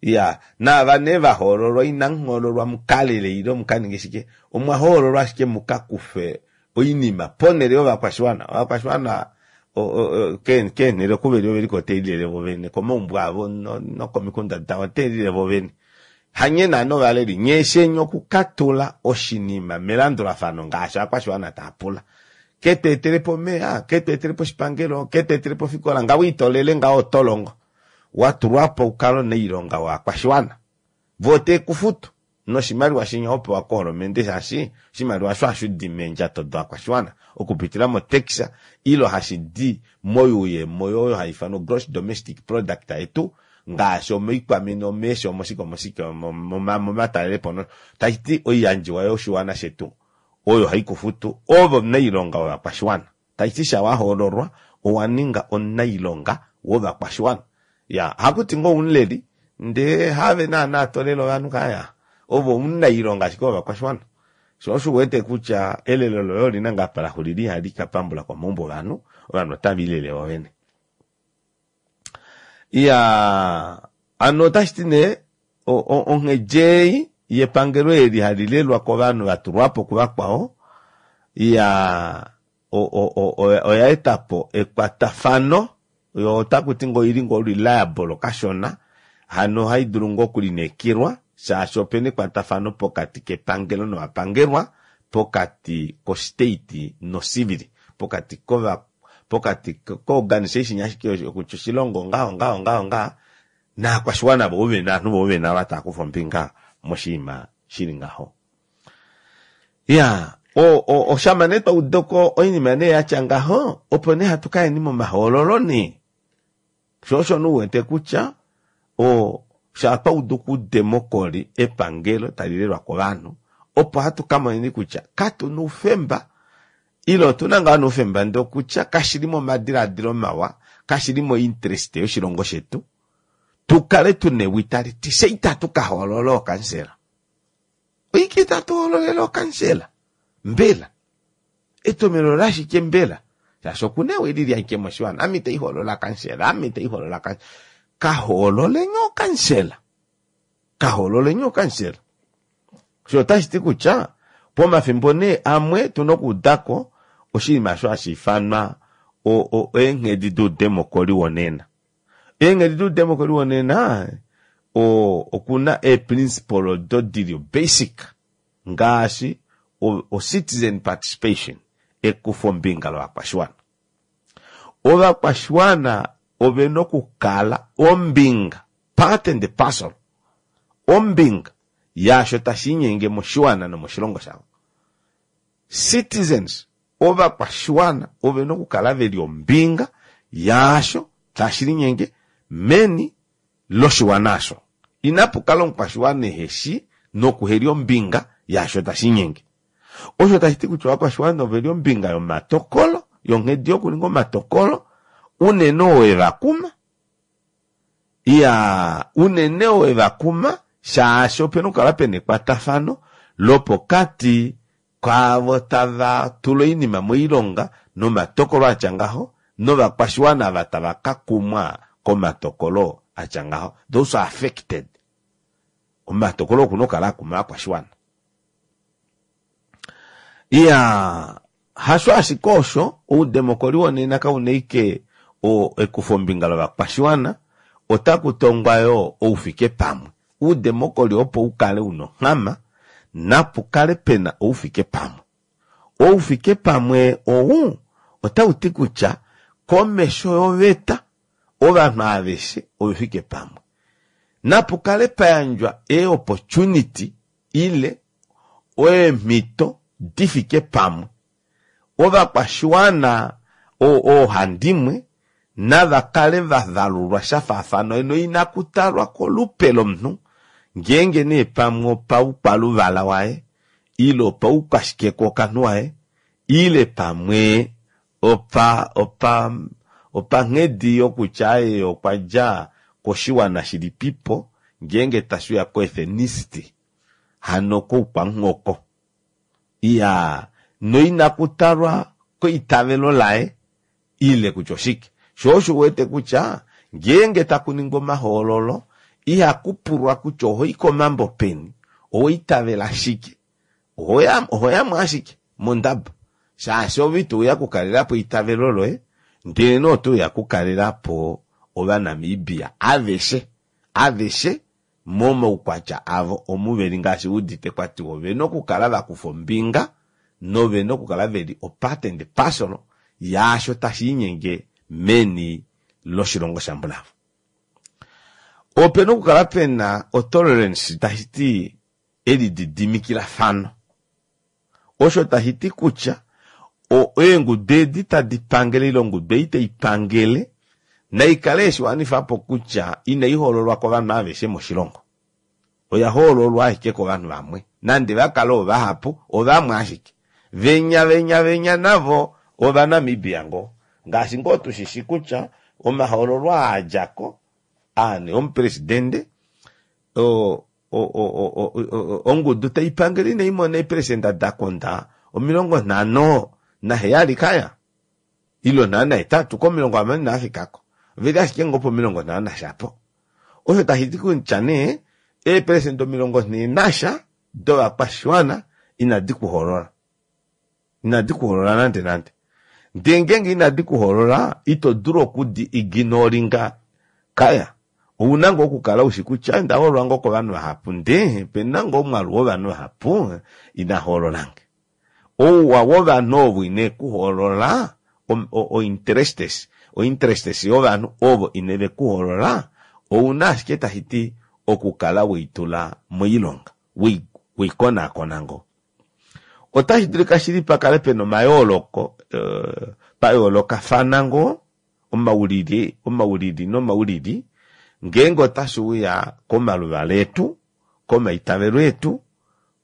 Iya, naava nee va hoololwa, inamu hoololwa mu ka lele ile mu ka ninge shike, omwa hoololwa ashike mu ka kufe oinima ponhele yovakwashiwana. Ovakwashiwana keenhele oku ve li ove li ko tave lilele vo vene, komaumbo avo nokomikunda davo otave lilele vo vene. Hanye naana ovaleli, nye sheni okukatula oshinima melandulafano ngaashi ovakwashiwana tava pula. Ke tu etele po omeya, ke tu etele po oshipangelo, ke tu etele po ofikola, ngaho ito lele ngaho oto longo. Wa tulwa po u kale omunailonga wovakwashiwana. Vo otave ku futu noshimaliwa shenya ho pewa koholomende shaashi oshimaliwa osho hashi di meendjato dovakwashiwana okupitila motax ile hashi di moyuuyemo oyo hai ifanwa gross domestic product yetu ngaashi omoikwamina, omeeshi, omoshike, omoshike, momatalelepo nosho. Tashi ti oiyandjiwa yoshiwana shetu oyo hai ku futu ove omunailonga wovakwashiwana. Tashi ti sha wa hoololwa owa ninga omunailonga wovakwashiwana. Ya, haku ti ngoo oumuleli ndee haave naana to lele ovanhu kaya. Ove omunailonga ashike wovakwashiwana. Sho osho u wete kutya elelo loye oli na ngaa apa la xulila ihali ka pambula komaumbo ovanhu, ovanhu otave lilele vovene. Iyaa, hano otashi ti nee onghedi ei yepangelo eli hali lelwa kovanhu va tulwa po kuvakwao, iyaa, oya eta po ekwatafano, yo otaku ti ngoo oili ngoo reliable kashona, hano ohai dulu ngoo okulineekelwa shaashi opena ekwatafano pokati kepangelo novapangelwa, pokati ko state no civil, pokati kova pokati ko-organisation ashike kutya oshilongo ngaho ngaho ngaho ngaha naakwashiwana vo vene ovanhu vo vene ava tava kufa ombinga moshinima shili ngaho. Ya, oshama nee twa uda ko oinima nee yatya ngaho, opo nee hatu ka yeni momahoololo nee. Sho osho nee u wete kutya o sha twa udu kuudemokoli epangelo tali lelwa kovanhu, opo hatu ka moneni kutya katu na oufemba ile otu na ngaa oufemba ndee okutya kashi li momadilaadilo mawa, kashi li mointerest yoshilongo shetu tu kale tu na ewi tali ti fye itatu ka hoolola ookansela. Oike itatu hoololele ookansela? Mbela etomelo olashike mbela? Shaashi oku na ewi lili ashike moshiwana, ame itai hoolola kansela, ame itai hoolola kansela. Ka hoololeni ookansela. Ka hoololeni ookansela. Osho otashi ti kutya pomafimbo nee amwe tu na okuuda ko oshinima osho hashi ifanwa eenghedi doudemokoli wonena. Eenghedi doudemokoli wonena oku na eeprinciple odo di li basic ngaashi o-citizen participation, ekufombinga lovakwashiwana. Ovakwashiwana ove na okukala ombinga, part and parcel, ombinga yaasho tashi linyenge moshiwana nomoshilongo shavo. Citizens, ovakwashiwana ove na okukala ve li ombinga yaasho tashi linyenge meni loshiwana osho. Inapu kala omukwashiwana ehe shi nokuheli ombinga yaasho tashi linyenge. Osho tashi ti kutya ovakwashiwana ove li ombinga yomatokolo, yonghedi yokuninga omatokolo, unene oo e va kuma. Iyaa, unene oo e va kuma, shaashi ope na okukala pe na ekwatafano lopokati kwaavo tava tula oinima moilonga nomatokolo a tya ngaho novakwashiwana ava tava ka kumwa komatokolo a tya ngaho, those are affected. Omatokolo oku na okukala a kuma ovakwashiwana. Iyaa, hasho ashike osho, oudemokoli wonena kau na ashike ekufombinga lovakwashiwana, otaku tongwa yoo oufikepamwe. Oudemokoli opo u kale u na onghama, Napu kale pe na oufikepamwe. Oufikepamwe ou otau ti kutya komesho yoveta ovanhu aveshe ove fike pamwe. Napu kale pa yandjwa eeopportunity ile eemhito di fike pamwe. Ovakwashiwana oohandimwe nava kale va valulwa sha faafana noinaku talwa kolupe lomunhu ngeenge nee pamwe opaukwaluvala waye ile opaukwashikekookanhu waye ile pamwe opa opa opanghedi yokutya ye okwa dja koshiwana shilipipo ngeenge tashi uya koethnicity hano koukwamuhoko. Iyaa, noinaku talwa keitavelo laye ile kutya oshike. Sho osho u wete kutya ngeenge taku ningwa omahoololo ihaku pulwa kutya oho i komambo peni, owa itavela shike. Oho ya mo ashike mondaba shaashi ove ito uya okukalela po eitavelo loye ndelenee oto uya okukalela po Ovanamibia aveshe, aveshe momaukwatya avo omu ve li ngaashi u udite kwa tiwa ove na okukala va kufa ombinga nove na okukala ve li opart and parcel yaasho tashi inyenge meni loshilongo shambulavo. Ope na okukala pe na otolerance tashi ti elididimikilafano. Osho tashi ti kutya eengudu edi tadi pangele ile ongudu ei tai pangele nai kale yeshi wanifa po kutya inai hoololwa kovanhu aveshe moshilongo. Oya hoololwa ashike kovanhu vamwe. Nande va kale ovahapu, ovamwe ashike. Venya venya venya navo Ovanamibia ngoo. Ngaashi ngoo tu shi shi kutya omahoololo aa a dja ko, aa nee omupresidende, ongudu tai pangele inai mona eeperesenda da konda 57 kaya ile 58 komilongo 60 inava fika ko. Ove li ashike ngoo pomilongo nhano nasha po. Osho tashi ti kutya nee eeperesenda omilongo nhee nasha dovakwashiwana inadi ku hoolola. Inadi ku hoolola nande nande. Ndee ngeenge inadi ku hoolola, ito dulu okudi ignoringa kaya. Ou na ngoo okukala u shi kutya onda hoololwa ngoo kovanhu vahapu ndee ope na ngoo omwaalu wovanhu vahapu ina hoolola nge. Ouwa wovanhu ovo ine ku hoolola, ointerestes, ointerestes yovanhu ovo ine ve ku hoolola, ou na ashike tashi ti okukala wei tula moilonga, wei konaakona ngoo. Otashi dulika shili pa kale pe na omayooloko, pa yoolokafana ngoo, omaulili, omaulili nomaulili, ngeenge otashi uya komaluvala etu, komaitavelo etu,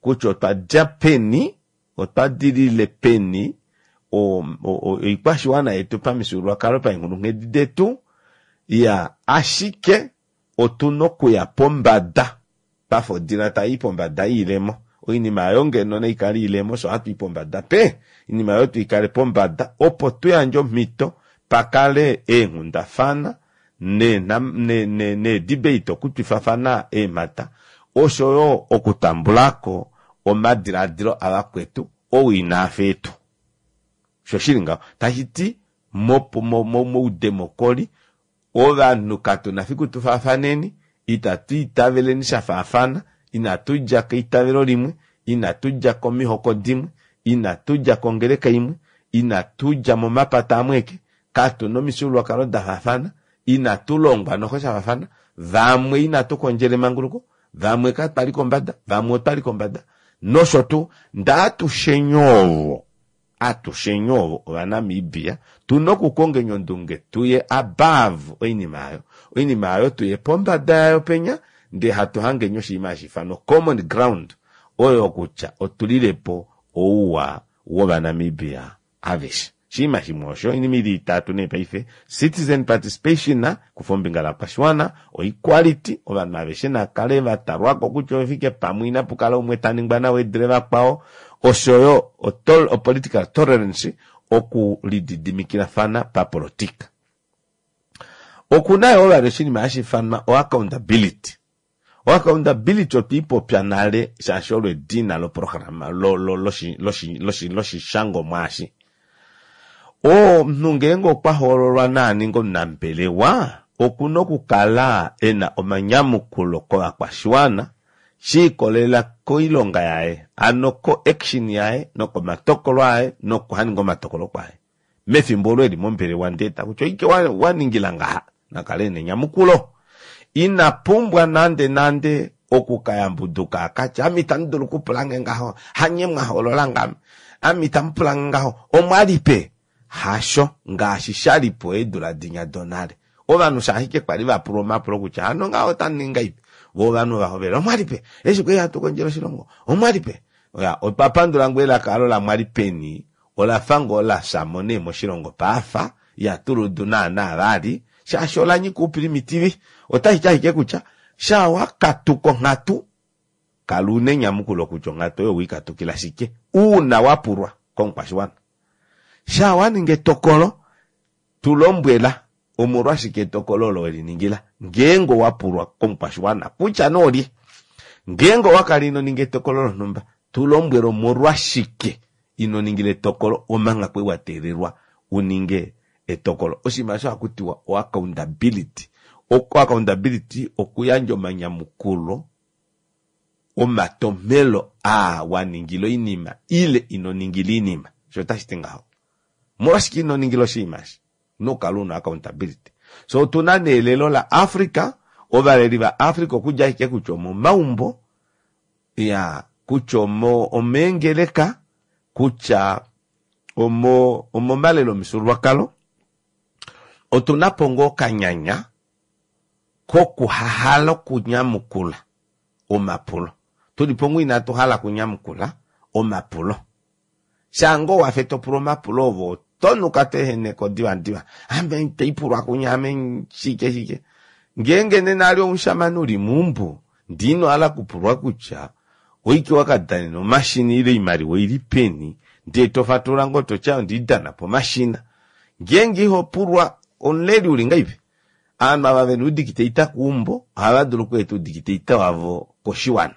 kutya otwa dja peni, otwa dilile peni, oikwashiwana yetu pamifyuululwakalo, paenghulunghedi detu, iya, ashike otu na okuya pombada pafa odila tai i pombada yoilemo. Oinima oyo ngeno nai kale oilemo, osho hatu i pombada pe oinima oyo tu i kale pombada opo tu yandje omhito pa kale eenghundafana needebate okutwifafana eemhata osho yo okutambula ko omadiladilo avakwetu ou inaa fa etu. Osho shi li ngaho. Tashi ti moudemokoli Ovanhu katu na fiku tu faafaneni, itatu itaveleni sha faafana, inatu dja keitavelo limwe, inatu dja komihoko dimwe, inatu dja kongeleka imwe, inatu dja momapata amwe eke, katu na omifyuululwakalo da faafana, inatu longwa noho sha faafana, vamwe inatu kondjela emanguluko, vamwe katwa li kombada, vamwe otwa li kombada, nosho tuu. Ndee atusheni ovo Atusheni ovo Ovanamibia tu na okukongeni ondunge tu ye above oinima aayo. Oinima aayo tu ye pombada yayo penya ndee hatu hangeni oshinima hashi ifanwa common ground oyo kutya otulile po ouwa wOvanamibia aveshe. Oshinima shimwe osho, oinima ili itatu nee paife, citizen participation, kufa ombinga lakwashiwana, oequality, ovanhu aveshe na kale va talwako kutya ove fike pamwe inapu kala umwe ta ningwa nawa e dule vakwao, oshoyo opolitical tolerance, oku lididimikilafana papolotika. Oku na yoo vali oshinima hashi ifanwa oaccountability. Oaccountability otwe i popya nale shaashi olo edina loprograma loshishangomwa eshi. Omunhu ngeenge okwa hoololwa naa ninge omunambelewa, oku na okukala e na omanyamukulo kovakwashiwana. She ikolelela koilonga yaye, hano ko action yaye nokomatokolo aye nokuhaninga omatokolo kwaye mefimbo olo eli mombelewa ndee ta kutya oike wa ningila ngaha, na kale ena enyamukulo. Ina pumbwa nande nande oku ka yambuduka a ka tye ame itamu dulu okupula nge ngaho, hanye mwa hoolola ngame, ame itamu pula nge ngaho, omwa li pe? Hasho, ngaashi sha li po eedula dinya donale. Ovanhu sha ashike kwa li va pulwa omapulo kutya hano ngaho otamu ningi ngahelipi, vo ovanhu ova hovela, Omwa li pe? Eshi kwali hatu kondjele oshilongo, omwa li pe? Ya, otwa pandula ngoo elaka olo la mwa li peni, ola fa ngoo la fya mo nee moshilongo paafa, ihatu li udu naanaa vali, shaashi ola nyika oupilimitivi. Otashi ti ashike kutya, shaa wa katuka onghatu, kala u na enyamukulo kutya onghatu oyo owe i katukila shike, uuna wa pulwa komukwashiwana. Shaa wa ninga etokolo, Tu lombwela omolwashike etokolo olo we li ningila, ngeenge owa pulwa komukwashiwana kutya nee olye. Ngeenge owa kala ino ninga etokolo lonhumba, tu lombwela omolwashike ino ningila etokolo omanga kwali wa teelelwa u ninge etokolo. Oshinima osho ohaku tiwa oaccountability. Oaccountability okuyandja omanyamukulo omatomhelo aa wa ningila oinima ile ino ningila oinima. Osho otashi ti ngaho. Omolwashike ino ningila oshinima eshi? Ouna okukala una accountability. So otuna nee elelo la Africa, ovaleli va Africa okudja ashike kutya omomaumbo, ya kutya omo omeengeleka, kutya omo omomalelo omifyuululwakalo, otuna po ngoo okanyanya kokuhahala okunyamukula omapulo. Tuli po ngoo inatu hala okunyamukula omapulo. Shaa ngoo wafe to pula omapulo ove oto nuka to ehene ko divadiva. Ame ite pulwa kunya ame shike shike. Ngeenge nena ali omushamane uli meumbo ndee ino hala okupulwa kutya oike wa ka danena omashina ile oimaliwa oili peni ndee to fatulula ngoo to ti onde i dana pomashina. Ngeenge iho pulwa omuleli uli ngahelipi? Ovanhu ava vena oudikiteita keumbo ohava dulu okweeta oudikiteita wavo koshiwana.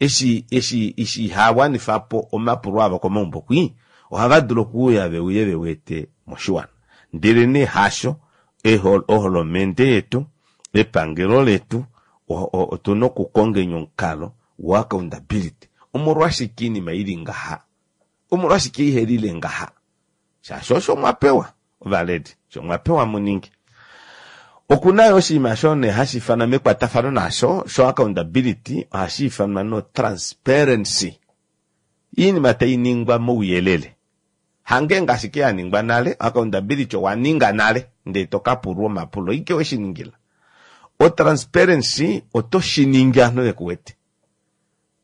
Eshi, eshi, eshi ihaa wanifa po omapulo avo komaumbo kwii, ohava dulu okuuya ve uye ve wete moshiwana. Ndelenee hasho, eho, oholomende yetu, epangelo letu, o, o, otu na okukongeni omukalo woaccountability. Omolwashike oinima i li ngaha? Omolwashike ihe lile ngaha? Shaashi osho mwa pewa, ovaledi, osho mwa pewa mu ninge. Oku na yo oshinima sho nee hashi ifanwa mekwatafano naasho sho accountability, ohashi ifanwa no transparency. Iinima tai ningwa mouyelele. Hangeenge ashike ya ningwa nale, accountability owa ninga nale ndee to ka pulwa omapulo, ike we shi ningila. O transparency oto shi ningi ovanhu ve ku wete.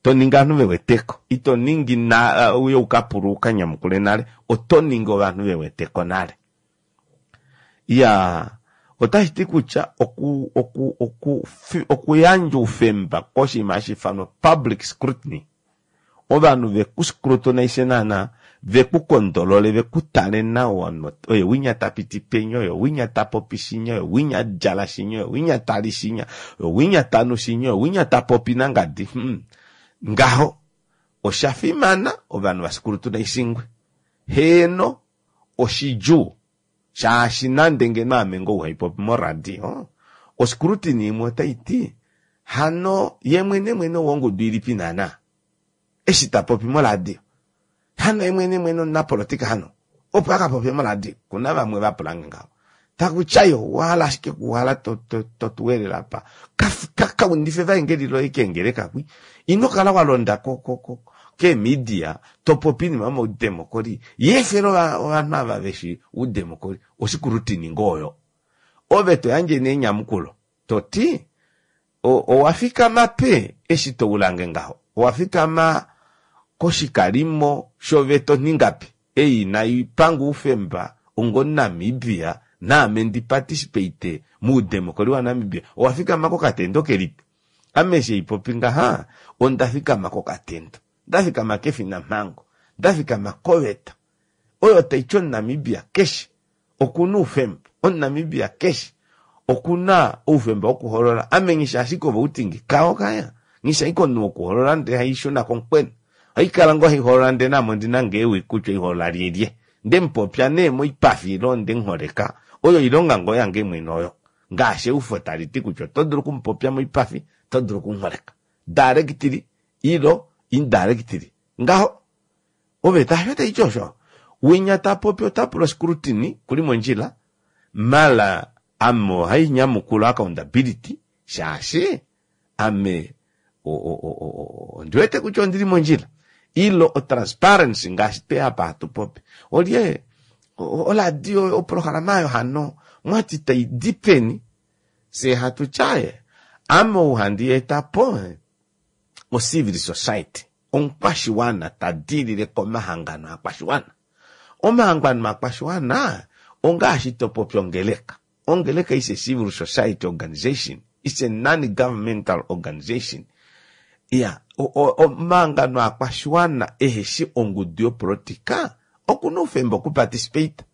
To ningi ovanhu ve weteko. Ito ningi na uye u ka pulwe u ka nyamukule nale, oto ningi ovanhu ve weteko nale. Iyaa, otashi ti kutya oku, oku, oku, okuyandja oufemba koshinima hashi ifanwa public scrutiny. Ovanhu ve ku scrutinize naana, ve ku kondolole, ve ku tale nawa, oye winya ta piti penya, oye winya ta popi shinya, oye winya a djala shinya, oye winya ta li shinya, oye winya ta nu shinya, oye winya ta popi nangadi. Hmm. Ngaho, osha fimana ovanhu va scrutinize-ngwe. Heeno, oshidjuu, shaashi nande ngeno ame ngoo uhai popi moradio, oscrutiny imwe otai ti, hano ye mwenemwene owongudu ilipi naana? Eshi ta popi moradio. Hano ye mwenemwene omunapolotika hano? Opo a ka popye moradio. Kuna vamwe va pula nge ngaho. Taku tya yo, owa hala ashike kuhala to, to, to tu welele apa. Ka, ka, ka undife evaengeli loye keengeleka kwi. Ino kala wa londa ko, ko, ko, keemidia to popi oinima yomaudemokoli. Yeefela ova, ovanhu ava ve shi oudemokoli. Oshikulutini ngoo oyo. Ove to yandje nee enyamukulo, to ti, O, owa fikama pe eshi to ula nge ngaho? Owa fikama koshikalimo shoveta onhingapi ei inai panga oufemba ongomuNamibia naame ndi participate moudemokoli waNamibia? Owa fikama kokatendo kelipi? Ame eshi haipopi ngaha, onda fikama kokatendo. Nda fikama kefinamhango. Nda fikama koveta oyo tai ti Omunamibia keshe oku na oufemba. Omunamibia keshe oku na oufemba wokuhoolola. Ame nghi shi ashike ovoutingi kao kaya. Nghi shi ashike omunhu wokuhoolola ndele hai shuna komukwena. Ohai kala ngoo hai hoolola ndele naame ondi na ngoo ewi kutya ohai hoolola lyelye. Nde mu popya nee moipafi ile onde mu holeka, oyo oilonga ngoo yange mwene oyo. Ngaashi eufo tali ti kutya oto dulu oku mu popya moipafi, oto dulu oku mu holeka. Directly ilo indirectly. Ngaho oveta hasho taiti osho. Winya ta popi ota pula oscrutiny kuli mondjila mala ame ohai nyamukula accountability shaashi ame ondi wete kutya ondili mondjila ilo otransparency ngaashi twe apa hatu popi olye oladio oprograma ayo hano mwati tai di peni fye hatu tyaye ame ou handi eta po ocivil society omukwashiwana ta dilile komahangano akwashiwana omahangano akwashiwana ongaashi to popi ongeleka Ongeleka is a civil society organization, it's a non-governmental organization. Ya, omahangano aakwashiwana eheshi ongudu yopolitika oku na oufemba okuparticipate.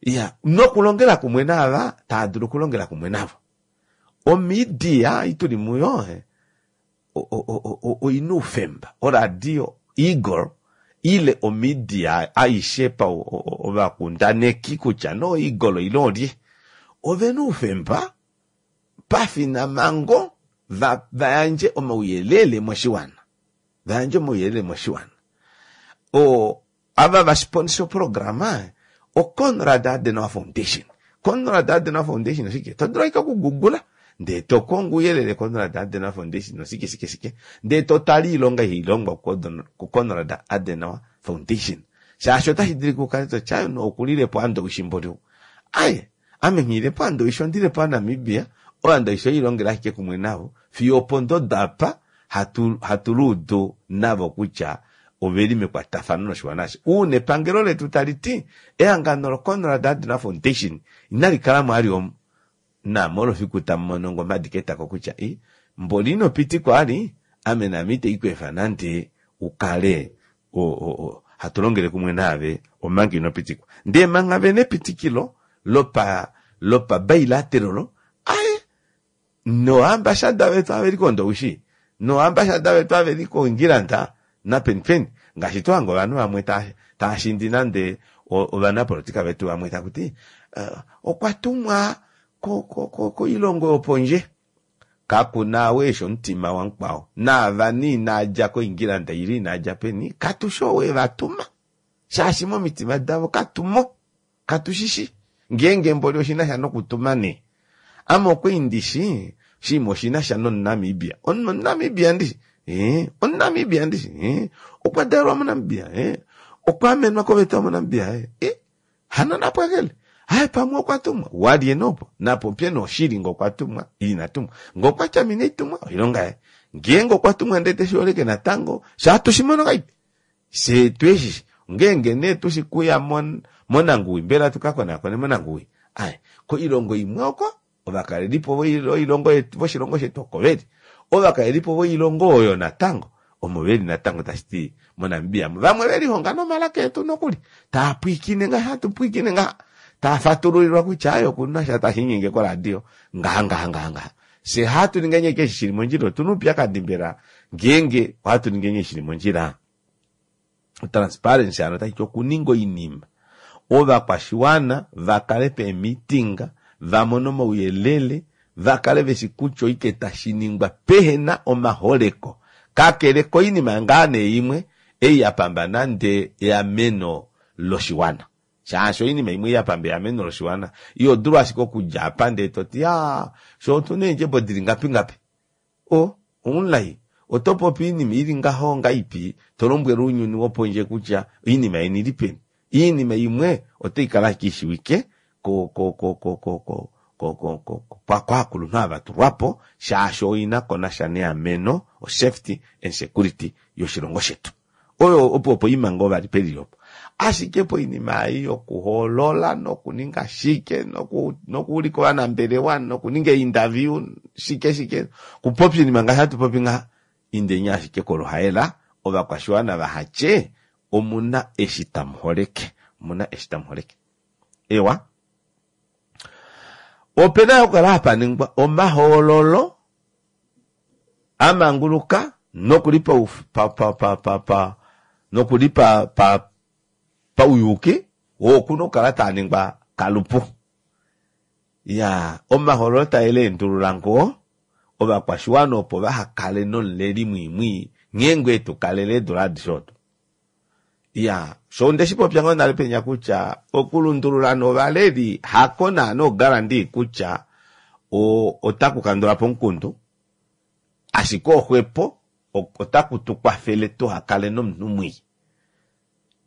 Ya, nokulongela kumwe naava tava dulu okulongela kumwe navo. Omedia ei tuli muyo, oi na oufemba, oradio Eagle ile omedia aishe pa ovakundaneki kutya no Eagle ile olye, ove na oufemba pafinamhango va va yandje omauyelele moshiwana, va yandje omauyelele moshiwana. O Ava va sponsor oprograma oConrad Adenauer Foundation. Conrad Adenauer Foundation oshike? To dulu ashike okugugula ndee to kongo ouyelele Conrad Adenauer Foundation oshike shike shike ndee to tale oilonga ihai longwa kuConrad Adenauer Foundation. Shaashi otashi dulika u kale to ti, Aye, okulile po Andowishi mboli ou. Aye, Ame nghile po Andowishi ondile po Anamibia, oyo Andowishi oyi longela ashike kumwe navo fiyo opondodo apa hatu hatu luudu navo kutya oveli mekwatafano noshiwana ashishe. Uuna epangelo letu tali ti ehangano loKonrad Adenauer Foundation inali kala mo ali omu, naame olo fiku tamu mono nge omhadi ketako kutya i mboli ino pitikwa ali, ame naame ite i ku efa nande u kale o, o, o, hatu longele kumwe naave omanga ino pitikwa. Ndee manga ve na epitikilo lopa lopa bilateral, aye Noambashada vetu ava veli koNdowishi, noambashada vetu ava veli koIngilanda napeni peni, ngaashi to hange ovanhu vamwe tava shindi nande ovanapolitika vetu vamwe taku ti okwa tumwa koilongo yopondje. Kaku na ou eshi omutima wamukwao. Naava nee inaa dja koIngilanda ile inaa dja peni, katu shi ou e va tuma, shaashi momitima davo katu mo. Katu shi shi ngeenge mboli oshi na sha nokutuma nee. Ame okwa ndi shi oshinima oshi na sha nOmunamibia. Omunamibia ndi shi? Ee. Omunamibia ndi shi? Ee. Okwa dalelwa moNamibia? Ee. Okwa amenwa koveta yomoNamibia? Ee. E, hano napwakele. Haye pamwe okwa tumwa. Walye nee opo? Napopye nee oshili nge okwa tumwa ile ina tumwa. Nge okwa tya ame inai tumwa, oilonga yaye. Ngeenge okwa tumwa ndele te shi holeke natango, sha hatu shi mono ngahelipi? Fye tweshi ngeenge nee tushi kuya monanguwi, mbela tu ka konakone monanguwi? Aye, koilongo imwe oko ovakalelipo voilongo yetu, voshilongo shetu oko veli. Ovakalelipo voilongo oyo natango omo veli natango, tashi ti moNamibia mu vamwe ve lihonga nomalaka etu nokuli, taa pwiikine ngaha, hatu pwiikine ngaha, taa fatululilwa kutya aye oku na sha tashi nyenge koradio ngaha ngaha ngaha ngaha. Fye hatu ningi ashike eshi shi li mondjila, otu na oupyakadi mbela ngeenge ohatu ningi eshi shi li mondjila? Transparency hano otashi ti okuninga oinima ovakwashiwana va kale peemitinga va mone omauyelele va kale ve shi kutya oike tashi ningwa pehe na omaholeko kakele koinima ngaa nee imwe ei ya pamba nande eameno loshiwana. Shaashi oinima imwe ya pamba eameno loshiwana iho dulu ashike okudja apa ndee to ti aa fye otu na eendjebo dili ngapi ngapi. O, omulai, oto popi oinima ili ngaho ngaipi to lombwele ounyuni wopondje kutya oinima yeni ili peni? Oinima imwe otai kala ashike i shiwike ko, ko, ko, ko, ko, ko, ko, ko, ko, ko, kovakulunhu ava va tulwa po, shaashi oi na ko nasha neameno, osafety and security yoshilongo shetu. Oyo opo poima ngoo vali peli opo. Ashike poinima ei yokuhoolola nokuninga shike nokuulika ovanambelewa nokuninga einterview shike shike, okupopya oinima ngaashi hatu popi ngaha, indeni ashike koluhaela ovakwashiwana vaha tye omuna eshi tamu holeke. Omuna eshi tamu holeke. Eewa. Opena yo okukala hapa ningwa omahoololo a manguluka noku li noku li pauyuuki, oo oku na okukala taa ningwa kalupu. Iyaa, omahoololo tae leendulula ngoo, Ovakwashiwana opo vahakale nomuleli mwiimwii nghee ngoo etukalele eedula adishe odo. Iyaa, sho ondeshipopya ngoo nale penya kutya okulundulula nee ovaleli hako naana oguarantee kutya ota kukandulapo omukundu, ashike oxwepo otaku tukwafele tuhakale nomunhu mwii.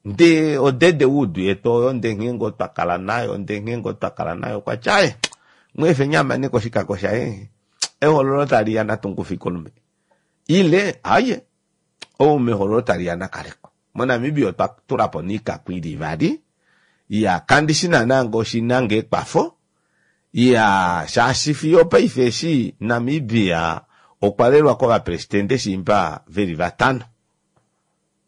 Ndee odede wudu yetu oyo ndee nghee ngoo twakala nayo ndee nghee ngoo twakala nayo okwati aaye mweefeni amaneko oshikako shaye ehoololo taliya natu mukufeko olume ile aaye ou mehoololo taliya nakaleko. Mo Namibia otwa tulapo nee oikako ili ivali iyaa kandishi naana ngee oshina ngoo ekwafo iyaa shaashi fiyo opaife eshi Namibia okwa lelwa kovapresidente shiimba veli vatano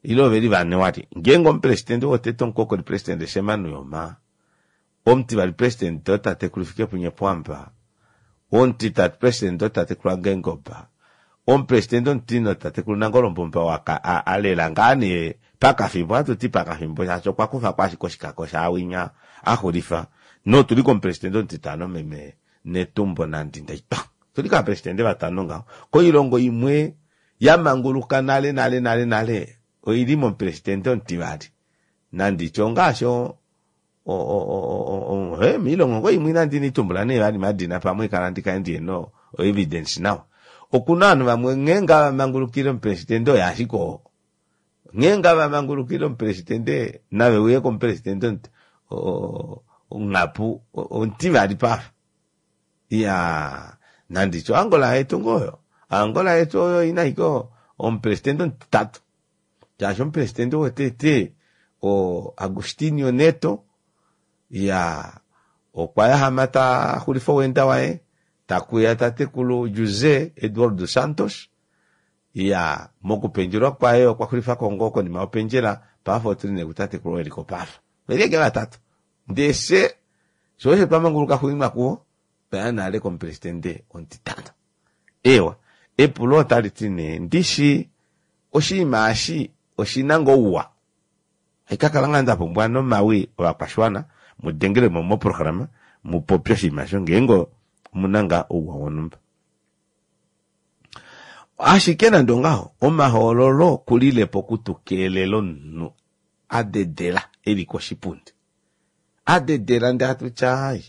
ile oveli vane wali ngeenge omupresidente wotete omukokoli presidente Sam Nujoma omutivali presidente otatekulu Hifikepunye Pohamba omutitatu president otatekulu Geingob, omupresident omutine otatekulu Nangolo Mbumba oo alela ngaa nee pakafimbo, ohatu ti pakafimbo shaashi okwa kufako ashike oshikako shaawinya axulifa, notuli komupresident omutitano meme Netumbo Nandi-Ndaitwah. Otuli kovapresidente vatano ngaho. Koilongo imwe yamanguluka nale nale nale nale oili momupresidente omutivali, nanditye ongaashi moilongo ngoo imwe inandi nitumbula nee vali madina pamwe kala ndikale ndihena o evidence nawa. Okuna ovanhu vamwe nghee ngaa vamangulukile omupresidente oye ashike oo. Nghee ngaa vamangulukile omupresidente nave uye komupresidente onghapu omutivali paafa. Iyaa nanditye oAngola yetu ngoo oyo. Angola yetu oyo oina ashike omupresidente omutitatu. Shaashi omupresidente wotete o Agostinho Neto iyaa okwa yahama taxulifa oweenda waye takuya tatekulu Jose Eduardo Santos iyaa mokupendjelwa kwaye okwa xulifako ngoo konima yopendjela paife otuli nee kutatekulu oo eliko paife veli ashike vatatu ndee fye sho osho twamanguluka xuuninwa kuvo twaya nale komupresidente omutitano. Eewa, epulo otali ti nee, ndishi oshinima eshi oshi na ngoo ouwa? Haikakala ngaa nda pumbwa nomawi ovakwashiwana mu dengele mo moprograma mu popye oshinima osho ngeenge omu na ngaa ouwa wonhumba. Ashike nande ongaho, omahoololo okulile po okutukeelela omunhu a dedela e li koshipundi. A dedela ndee hatu tya ai,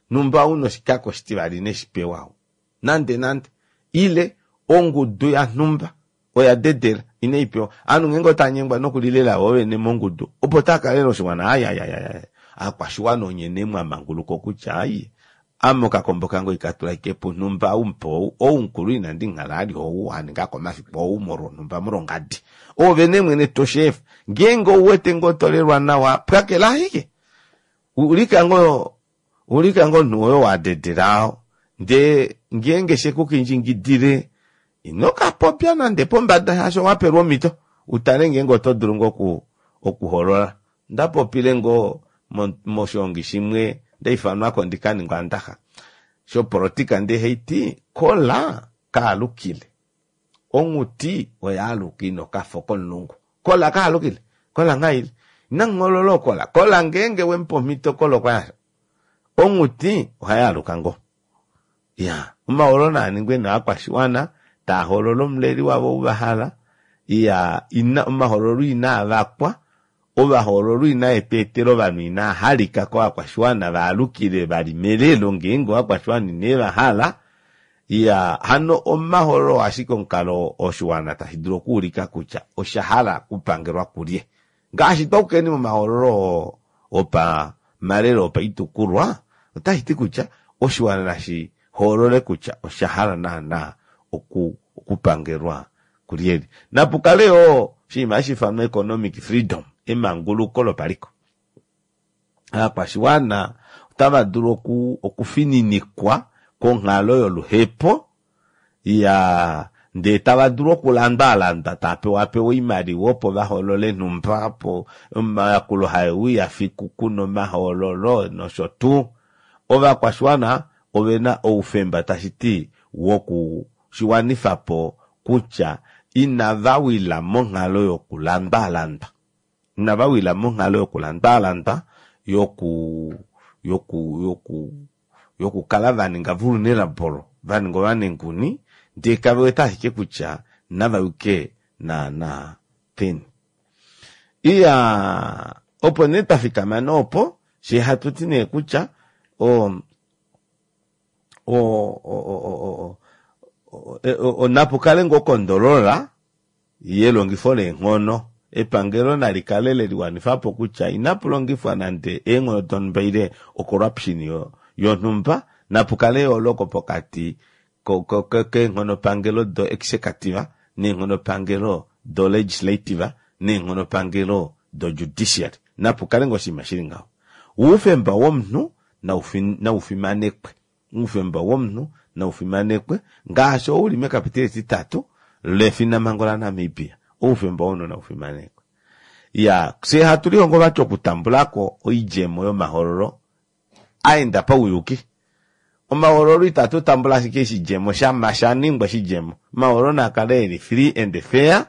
numba ou na oshikako oshitivali ine shi pewa ou. Nande nande. Ile ongudu yanhumba oya dedela ine i pewa. Ovanhu ngeenge otava nyengwa nokulilela vo vene mongudu opo tava ka lela oshiwana ai ai ai ai aakwashiwana onye nee mwa manguluka okutya ai ame okakombo kange oikatula ashike punhumba ou mupe ou, ou mukulu inandi muhala ali ou a ningako omafiku ou molwonhumba molwongadi. Oove nee mwene to shi efa. Ngeenge ou wete ngoo to lelwa nawa pwakela ashike. Ulika ngoo Ulika ngoo omunhu woye oo wa dedela oo, ndee ngeenge she ku kindjingidile, ino ka popya nande pombada shaashi owa pelwa omhito u tale ngeenge oto dulu ngoo oku okuhoolola. Onda popile ngoo moshiongi shimwe nda ifanwa ko ndi ka ninge oandaxa shopolotika ndee haiti, Kola kaalukile. Onghuti oya aluka ina okafo komulungu. Kola kaalukile. Kola nghaili. Inamu hoolola ookola. Kola ngeenge we mu pa omhito kola okwa yasha. Onghuti ohai aluka ngoo. Iyaa, omahoololo naa ningwe nee ovakwashiwana taa hoolola omuleli wavo ou va hala. Iyaa, ina omahoololo inaa vakwa, ovahoololwa inae tu etela ovanhu inaa halika kovakwashiwana va alukile vali melelo ngeenge ovakwashiwana ine va hala. Iyaa, hano omahoololo oo ashike omukalo oo oshiwana tashi dulu okuulika kutya osha hala okupangelwa kulye. Ngaashi twa ukeni momahoololo oo opamalelo opaitukulwa, otashi ti kutya oshiwana nashi hoolole kutya osha hala naana okupangelwa kulyelye. Napu kale yoo oshinima hashi ifanwa economic freedom, emanguluko lopaliko. Aakwashiwana otava dulu okufininikwa konghalo yoluhepo ya ndee tava dulu okulandwaalandwa tava pewapewa oimaliwa opo va hoolole nhumba opo omayakulo hae uya fiku kuna omahoololo nosho tuu. Ovakwashiwana ove na oufemba tashi ti woku shi wanifa po kutya inava wila monghalo yokulandwaalandwa. Inava wila monghalo yokulandwaalandwa, yoku, yoku, yoku, yokukala va ninga vulnerable, va ninga ovanenguni, Ndee kave wete ashike kutya nava yuke naana peni. Iyaa, opo nee twa fikama nee opo, fyee hatu ti nee kutya o, o, o, o, napu kale ngoo okondolola yelongifo leenghono. Epangelo nali kale le liwanifa po kutya inapu longifwa nande eenghono donhumba ile ocorruption yonhumba, napu kale eyooloko pokati keenghonopangelo do executive neenghonopangelo do legislative neenghonopangelo do judiciary. Napu kale ngoo oshinima shili ngaho. Oufemba womunhu nau fimanekwe. Oufemba womunhu nau fimanekwe ngaashi oo uli mekapiteli etitatu lefinamhango laNamibia. Oufemba womunhu nau fimanekwe. Iyaa, fyee hatu lihongo vati okutambula ko oidjemo yomahoololo a enda pauyuki. Omahoololo itatu tambula ashike oshidjemo shama sha ningwa oshidjemo. Omahoololo naa kale eli free and fair,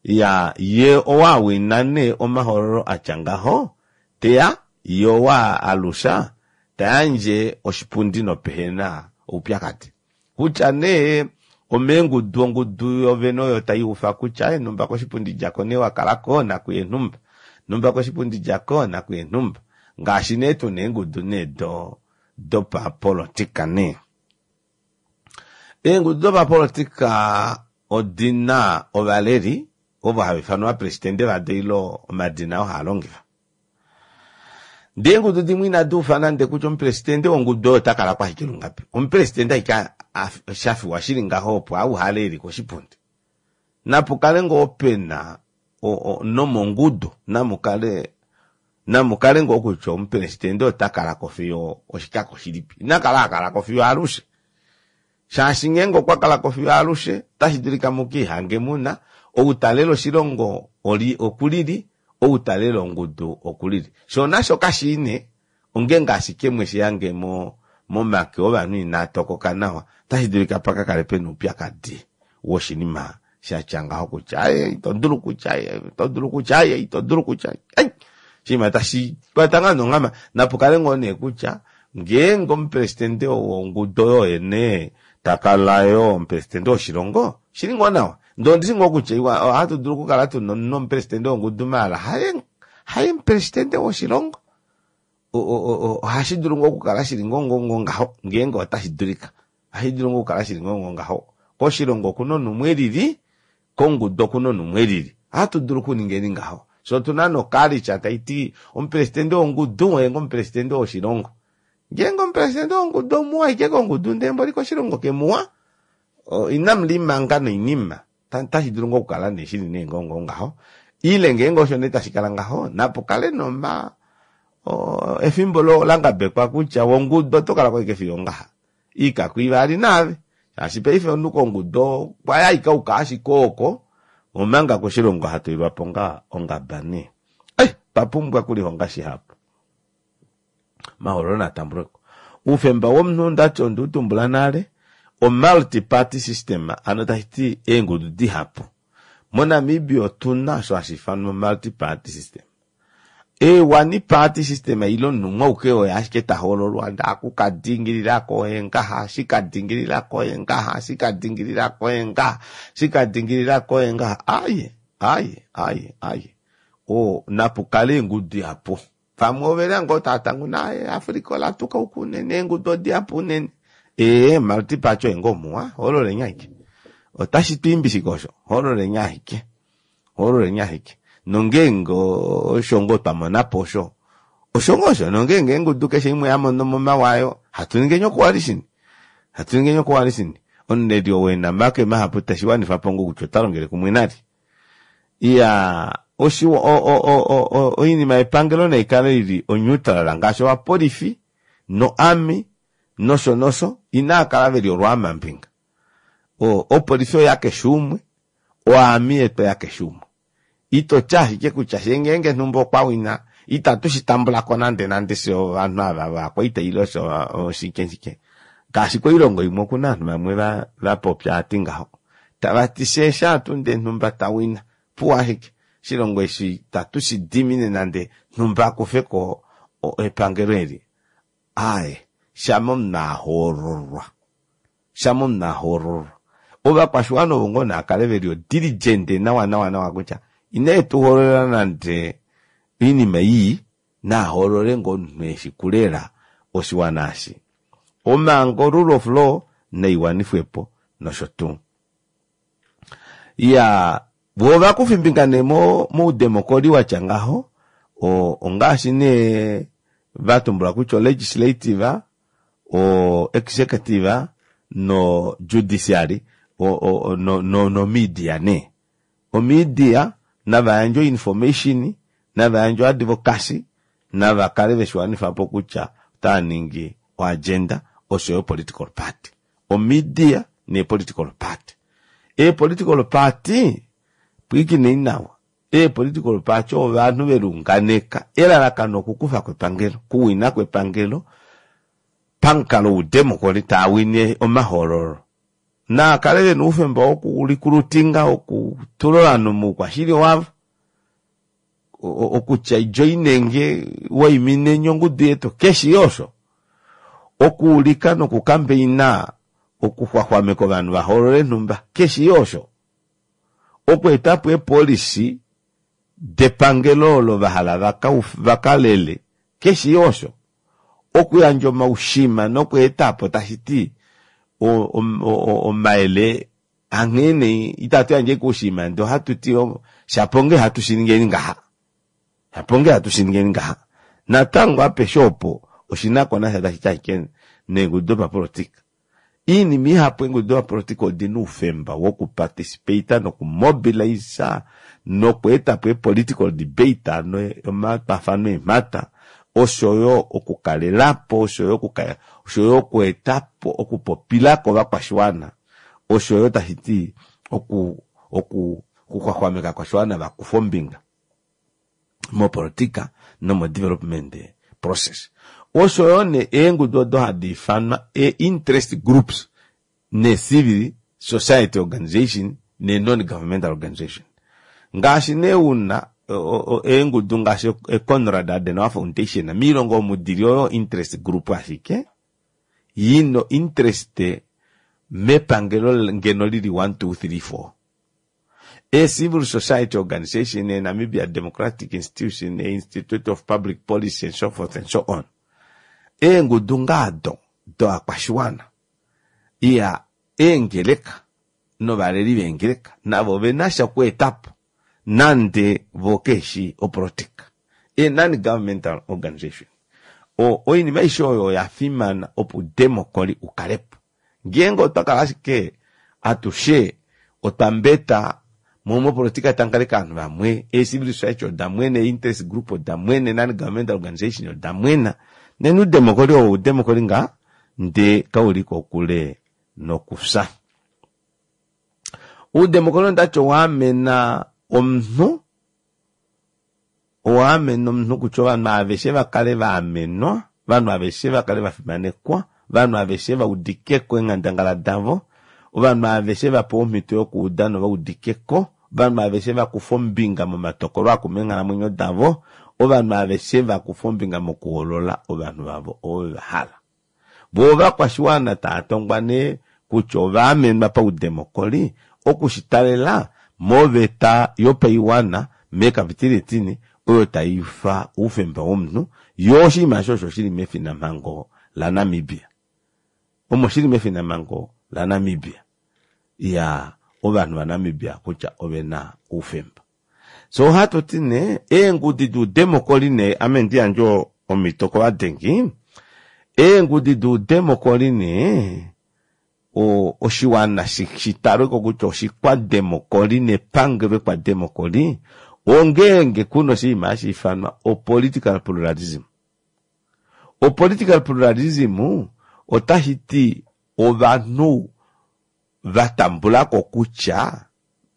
ya ye owa wina nee omahoololo atya ngaho, teya ye owa alusha ta yandje oshipundi nopehena oupyakadi. Kutya nee omeengudu, ongudu yovene oyo tai ufa kutya nhumba koshipundi djako nee wa kala ko nakuye nhumba, nhumba koshipundi djako nakuye nhumba. Ngaashi nee tuna eengudu nee do dopapolitika nee. Eengudu dopapolitika odi na ovaleli ovo hava ifanwa ovapresidente vado ile omadina oo haa longifa. Ndee eengudu dimwe inadi ufa nande kutya omupresidente wongudu oyo ota kala ko ashike lungapi. Omupresidente ashike sha fiwa shili ngaho opo a uhale eli koshipundi. Napu kale ngoo pe na nomongudu namu kale namu kale ngoo kutya omupresidente ota kala ko fiyo oshikako shilipi. Ina kala ha kala ko fiyo alushe. Shaashi ngeenge okwa kala ko fiyo alushe, otashi dulika mu ka ihange mu na ou ta lele oshilongo okulili, ou ta lele ongudu okulili. Shoo nasho kashii nee, ongeenge ashike mwe shi hange momake ovanhu inaa tokoka nawa, otashi dulika pa ka kale pe na oupyakadi woshinima sha tya ngaho kutya aye ito dulu kutya aye ito dulu kutya aye ito dulu kutya ai oshinima tashi kwata ngaa nonghama. Napu kale ngoo nee kutya ngeenge omupresidente wongudu oyo oye nee ta kala yoo omupresidente woshilongo, oshi li ngoo nawa. Ndee ondi shi ngoo kutya iwa ohatu dulu okukala tuna omunhu omupresidente wongudu maala haye haye omupresidente woshilongo. Ohashi dulu ngoo okukala shili ngoo ngoo ngaho ngeenge otashi dulika. Ohashi dulu ngoo okukala shili ngoo ngoo ngaho. Koshilongo okuna omunhu umwe elili, kongudu okuna omunhu umwe elili. Ohatu dulu okuningeni ngaho. Fye otuna nokalicha tai ti omupresidente wongudu oye ngoo omupresidente woshilongo. Ngeenge omupresidente wongudu omuwa ashike kongudu ndee mboli koshilongo kemuwa, inamu limanga noinima. Otashi dulu ngoo okukala nee shili nee ngoo ngoo ngaho. Ile ngeenge osho nee tashi kala ngaho, napu kale noma efimbo la ngabekwa kutya wongudu oto kala ko ashike fiyo ongaha. Iikaku ivali naave. Shaashi paife omunhu kongudu okwa ya ashike auka ashike oko, omanga koshilongo ha tulilwa po ngaa ongaba nee. Ai, otwa pumbwa okulihonga shihapu. Omahoololo naa tambulwe ko. Oufemba womunhu ndati onde u tumbula nale, o multi party system, ano tashi ti eengudu dihapu. MoNamibia otu na osho hashi ifanwa multi party system. E one party system ile omunhu umwe auke oye ashike ta hoololwa, ndee aku ka dingilila ko oye ngaha, shi ka dingilila ko oye ngaha, shi ka dingilila ko oye ngaha, shi ka dingilila ko oye ngaha. Aaye, aaye, aaye, aaye. O, napu kale eengudu dihapu. Vamwe ove li ngoo tava tanguna, aaye, Africa ola tukauka unene, eengudu odihapu unene. Ee, multi party oye ngoo muwa, hoololeni ashike. Otashi tu imbi shike osho? Hoololeni ashike. Hoololeni ashike. Nongeenge osho ngoo twa mona po osho, osho ngoo osho. Nongeenge eengudu keshe imwe ya mono mo omawa ayo, hatu ningeni okoalishini. Hatu ningeni okoalishini. Omuleli ou e na omake mahapu teshi wanifa po ngoo kutya ota longele kumwe nalye. Iyaa, oshiwa, o, o, o, o, o, oinima yepangelo nai kale ili oneutral ngaashi ovapolifi noarmy nosho nosho inaa kala veli olwaamambinga. O, opolifi oya keshe umwe, oarmy yetu oya keshe umwe. Ito ti ashike kutya fye ngeenge nhumba okwa wina, itatu shi tambula ko nande nande fye ovanhu ava vakwaita ile osho oshike shike. Ngaashi koilongo imwe okuna ovanhu vamwe va, va popya ati ngaho. Tava ti fye shaa tuu ndee nhumba ta wina, opuwo ashike. Oshilongo eshi itatu shi dimine nande nhumba a kufe ko epangelo eli. Aaye, shama omunhu a hoololwa. Shama omunhu a hoololwa. Ovakwashiwana ovo ngoo naa kale veli odiligent nawa nawa nawa kutya ine tu hoololela nande oinima ii, naa hoolole ngoo omunhu eshi kulela oshiwana eshi. Omhango, rule of law, naiwanifwepo nosho tuu. Iyaa, voo ovakufimbinga nee moudemokoli watya ngaho, ongaashi nee vatumbula kutya olegislative, o-executive no-judiciary no-media nee. Omedia nava yandje oinformation, nava yandje oadvocacy, nava kale veshiwanifa po kutya otava ningi oagenda osho yo political party. Omedia neepolitical party. Eepolitical party, pwiikinei nawa, eepolitical party ovanhu veliunganeka elalakano okukufa ko epangelo, okuwina ko epangelo pamukalo woudemokoli taa wine omahoololo. Naa kale ve na oufemba wokulikulutinga, wokutula ovanhu moukwashili wavo, okutya joinenge, waimineni ongudu yetu, keshi osho. Okuulika nokukambeina okuxwaxwameka ovanhu va hoolole nhumba, keshi osho. Okweeta po eepolisi depangelo olo va hala va kalele, keshi osho. Okuyandja omaushima nokweeta po tashi ti omayele anghee nee itatu yandje ashike oushima ndee ohatu ti shapo ngee hatu shi ningeni ngaha, shapo ngee hatu shi ningeni ngaha. Natango apeshe opo oshi na ko nasha tashi ti ashike neengudu dopapolitika. Iinima ihapu eengudu dopapolitika odi na oufemba wokuparticipata nokumobilisa nokweeta po eepolitical debate, hano omatwafano eemhata, osho yo okukalela po, osho yo okweeta po okupopila ko ovakwashiwana, osho yo tashi ti okuxwaxwameka ovakwashiwana va kufe ombinga mopolitika nomodevelopment process. Osho yo nee eengudu odo hadi ifanwa ee-interest groups nee-civil society organization nee-non-governmental organization. Ngaashi nee una eengudu ngaashi e-Konrad Adenauer Foundation miilongo omu dili oyo interest group ashike yina interest mepangelo ngeno lili 1, 2, 3, 4. Ee-civil society organization, ee-Namibia Democratic Institution, ee-Institute of Public Policy and so forth and so on. Eengudu ngaado dovakwashiwana, iya eengeleka novaleli veengeleka navo ove na sha okweeta po nande vo keshi opolitika. Ee-non-governmental organization. Oinima aishe oyo oya fimana opo oudemokoli u kale po. Ngeenge otwa kala ashike atushe otwa mbeta mo mopolitika tamu kala ashike ovanhu vamwe, ee-civil society oda mwena, ee-interest group oda mwena, ee-non-governmental organization oda mwena, nena oudemokoli oo oudemokoli ngaa ndee kauli kokule nokufya. Oudemokoli ondati owa amena omunhu, owa amena omunhu kutya ovanhu aveshe va kale va amenwa, ovanhu aveshe va kale va fimanekwa, ovanhu aveshe va udike ko eenghandangala davo, ovanhu aveshe va pewa omhito yokuuda nova udike ko, ovanhu aveshe va kufa ombinga momatokolo a kuma eenghalamwenyo davo, ovanhu aveshe va kufa ombinga mokuhoolola ovanhu vavo ovo ve va hala. Vo ovakwashiwana tava tongwa nee kutya ova amenwa paudemokoli oku shi talela moveta yopaiwana mekapitili etine oyo tai ufa oufemba womunhu, yoo oshinima eshi osho shi li mefinamhango laNamibia. Omo shi li mefinamhango laNamibia. Iyaa, ovanhu vaNamibia kutya ove na oufemba. So ohatu ti nee eengudi doudemokoli nee ame ndi yandje omhito kovadengi, eengudi doudemokoli nee oshiwana shi talwe ko kutya oshikwademokoli nepangelo ekwademokoli ongeenge kuna oshinima hashi ifanwa opolitical pluralism. Opolitical pluralism otashi ti ovanhu va tambula ko kutya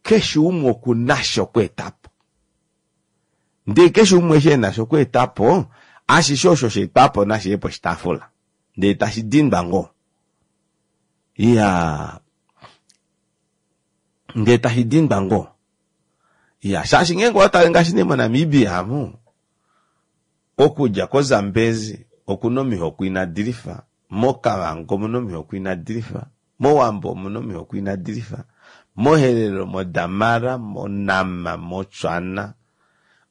keshe umwe oku na sha okweeta po. Ndee keshe umwe eshi e na sha okweeta po, ashishe osho sha etwa po nashi ye poshitaafula, ndee tashi dindwa ngoo. Iyaa, ndee tashi dindwa ngoo. Iyaa, shaashi ngeenge owa tale ngaashi nee moNamibia amu, okudja koZambezi okuna omihoko inadi lifa, moKavango omuna omihoko inadi lifa. MOwambo omuna omihoko inadi lifa, moHerero, moDamara, moNama, moTswana.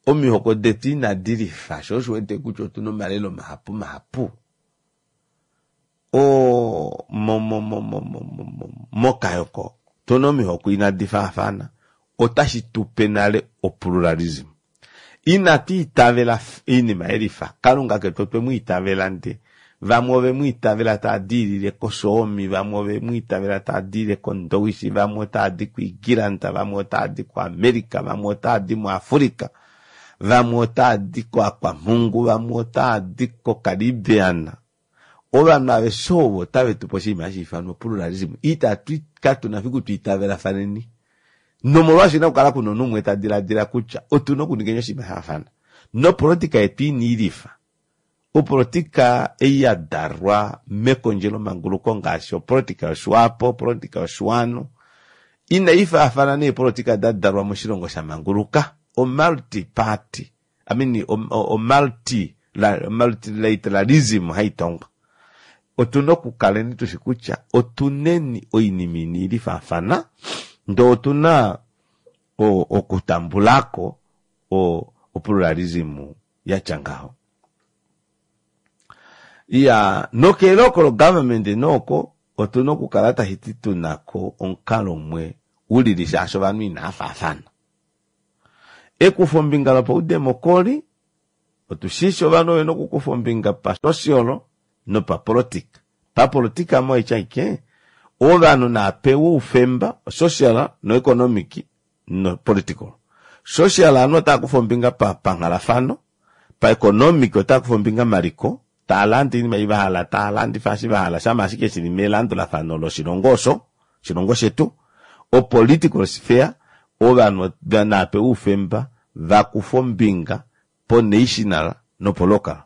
Omihoko detu inadi lifa, sho osho wete kutya otuna omalelo mahapu mahapu. O mo mo mo mo mo mokayoko otuna omihoko inadi faafana, otashi tupe nale opluralism. Inatu itavela oinima yelifa. Kalunga ketu otwe mu itavela nde vamwe ove mu itavela taa diilile kOsoomi, vamwe ove mu itavela taa diilile kOndowishi, vamwe otaa di kuIgilanda, vamwe otaa di kuAmerica, vamwe otaa di muAfrica, vamwe otaa di koAkwamhungu, vamwe otaa di koCaribbean. Ovanhu aveshe ovo otave tu pe oshinima hashi ifanwa pluralism. Itatu katu na fiku tu itavelafaneni. Nomolwaasho ina kukala kuna omunhu umwe ta diladila kutya otu na okuningeni oshinima sha faafana. Nopolotika yetu ina ilifa. Opolotika ei ya dalwa mekondjelomanguluko ngaashi opolotika yoSwapo, opolotika yoSwanu, inai faafana neepolotika da dalwa moshilongo sha manguluka. O-multi party, I mean, o-multi, multilateralism haitongwa. Otu na okukaleni tushi kutya otuneni oinima ina ilifaafana, ndee otu na okutambulako opluralism ya tya ngaho. Iya, nokeeloko logovernment nooko otu na okukala tashi ti tu na ko omukalo umwe ulili shaashi ovanhu inaa faafana. Ekufombinga lopaudemokoli, otu shishi ovanhu ove na okukufa ombinga pasocial nopapolitika. Papolitika moitya aike, ovanhu naa pewe oufemba social noeconomic nopolitical. Social ovanhu otava kufa ombinga panghalafano, paeconomic otava kufa ombinga maliko, tava lande oinima ei vahala, tava landifa eshi vahala, shama ashike shili melandulafano loshilongo osho, oshilongo shetu. Opolitical sphere, ovanhu nava pewe oufemba vakufe ombinga ponational nopolocal,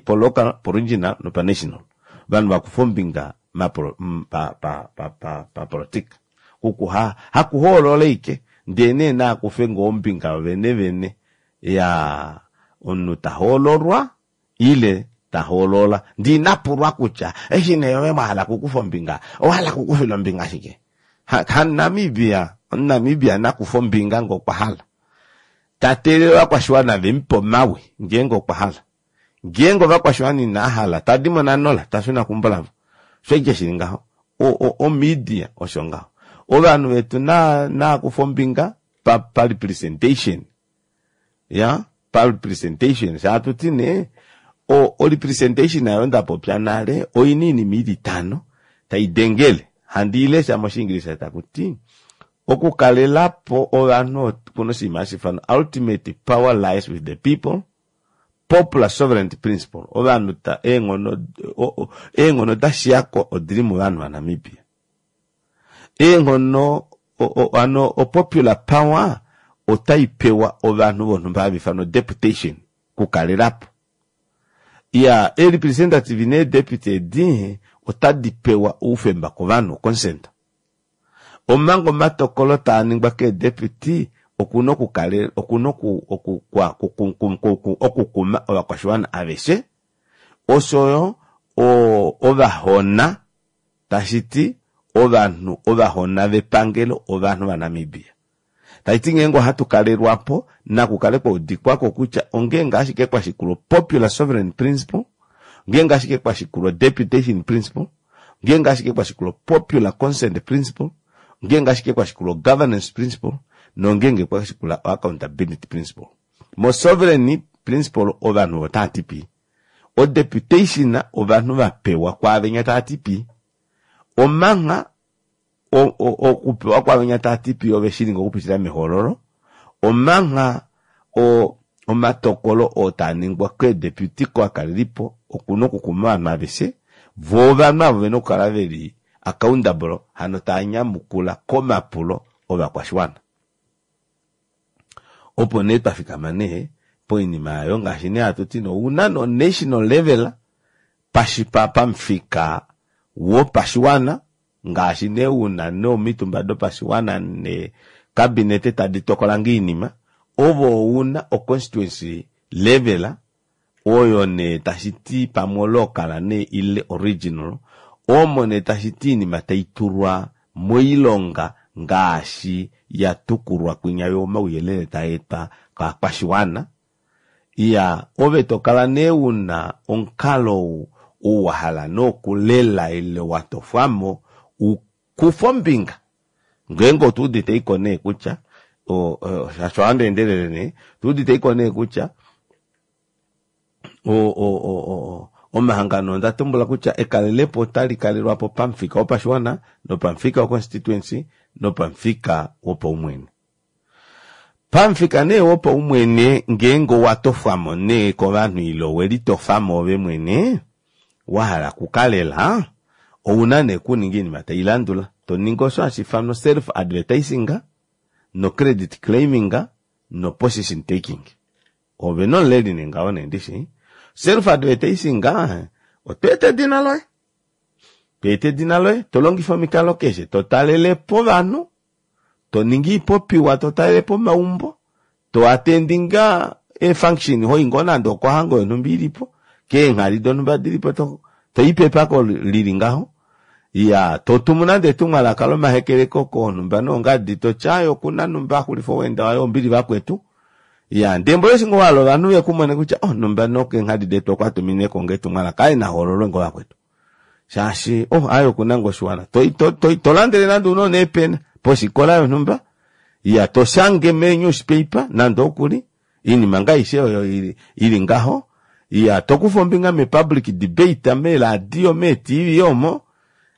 polocal, poregional nopanational. Ovanhu vakufe ombinga papolitika. Hakuhoolola ashike, ndee nee naakufe ngoo ombinga yovene vene ya omunhu ta hoololwa ile ta hoolola. Ndee ina pulwa kutya eshi nee ove mwa hala okukufa ombinga, owa hala okukufila ombinga shike? HaNamibia, omuNamibia nakufe ombinga ngee okwa hala. Ta teelele ovakwashiwana ve mu pe omawi ngeenge okwa hala. Ngeenge ovakwashiwana inaa hala, ta di mo nanola, ta shuna keumbo lavo. Osho ashike shili ngaho. Omedia osho ngaho. Ovanhu vetu naa kufe ombinga parepresentation. Ya, parepresentation. Sha hatu ti nee, orepresentation ayo nda popya nale, oina oinima ili itano tai dengele. Handi i lesha mOshiingilisa taku ti, okukalela po ovanhu okuna oshinima hashi ifanwa ultimate power lies with the people, popular sovereignty principle, ovanhu ta eenghono eenghono da shiya ko odili movanhu vaNamibia. Eenghono hano opopular power otai pewa ovanhu vonhumba hava ifanwa deputation kukalela po. Iya, ee-representative nee-deputy edi otadi pewa oufemba kovanhu, consent. Omanga omatokolo taa ningwa keedeputy okuna okukale okuna oku oku okukuma ovakwashiwana aveshe oshoyo ovahona tashi ti ovanhu ovahona vepangelo ovanhu vaNamibia. Tashi ti ngeenge ohatu kalelwa po naku kale kwa udikwako kutya ongeenge ashike kwa shikulwa popular sovereign principle, ngeenge ashike kwa shikulwa deputation principle, ngeenge ashike kwa shikulwa popular consent principle, ngeenge ashike kwa shikulwa governance principle nongeenge kwa shikula accountability principle. Mo sovereign principle ovanhu otava ti pii, odeputation ovanhu va pewa kwaavenya tava ti pii, omangha okupewa kwaavenya tava ti pii ove shi ninga okupitila mehoololo, omangha omatokolo oo taa ningwa keedeputy kovakalelipo oku na okukuma ovanhu aveshe, voo ovanhu avo vena okukala veli accountable hano taa nyamukula komapulo ovakwashiwana. Opo nee twa fikama nee poinima oyo ngaashi nee hatu ti ouna no national level pamufika wopashiwana ngaashi nee una nee omitumba dopashiwana ne cabinet tadi tokola ngoo oinima, ove ouna o constituency level oyo nee tashi ti pamwe olocal nee ile original. Omo nee tashi ti oinima tai tulwa moilonga ngaashi ya tukulwa kwinya yo omauyelele taa etwa kaakwashiwana. Iya, ove to kala nee u na omukalo ou ou wa hala nee okulela ile wa tofwa mo u kufe ombinga. Ngeenge otu udite iko nee kutya, shaashi ohandi endelele nee, otu udite iko nee kutya omahangano onda tumbula kutya ekalelepo otali kalelwa po pamufika wopashiwana nopamufika woconstituency nopamufika wopaumwene. Pamufika nee wopaumwene ngeenge owa tofwa mo nee kovanhu ile owe litofa mo ove mwene wa hala okukalela, ou na nee okuninga oinima tai landula. To ningi osho hashi ifanwa self advertising no credit claiming no position taking. Ove nomuleli nee ngaho nee ndishi. Self advertising oto eta edina loye. To eta edina loye, to longifa omikalo keshe, to talele po ovanhu, to ningi iipopiwa, to talele po omaumbo, to attendinga eefunction, ho i ngoo nande okohango yonhumba ili po, keenghali donhumba dili po, to, to i pepako lili ngaho. Ya, to tumu nande etumwalaka lomahekeleko koonhumba noongadi, to ti, Aaye, oku na nhumba a xulifa oweenda waye, ombili vakwetu. Ya, ndee mboli eshi ngoo wa hala ovanhu ve ku mone kutya, oh, nhumba nokeenghadi detu okwa tumine ko ngoo etumwalaka, aaye na hoololwe ngoo vakwetu. Shaashi, oh, aaye oku na ngoo oshiwana. To, to, to, to landele nande ounona eepena poshikola yonhumba, ya, to shange mee-newspaper nande okuli, Oinima nga aishe oyo ili ngaho, iya, to kufa ombinga me public debate, meeradio, meeTV omo,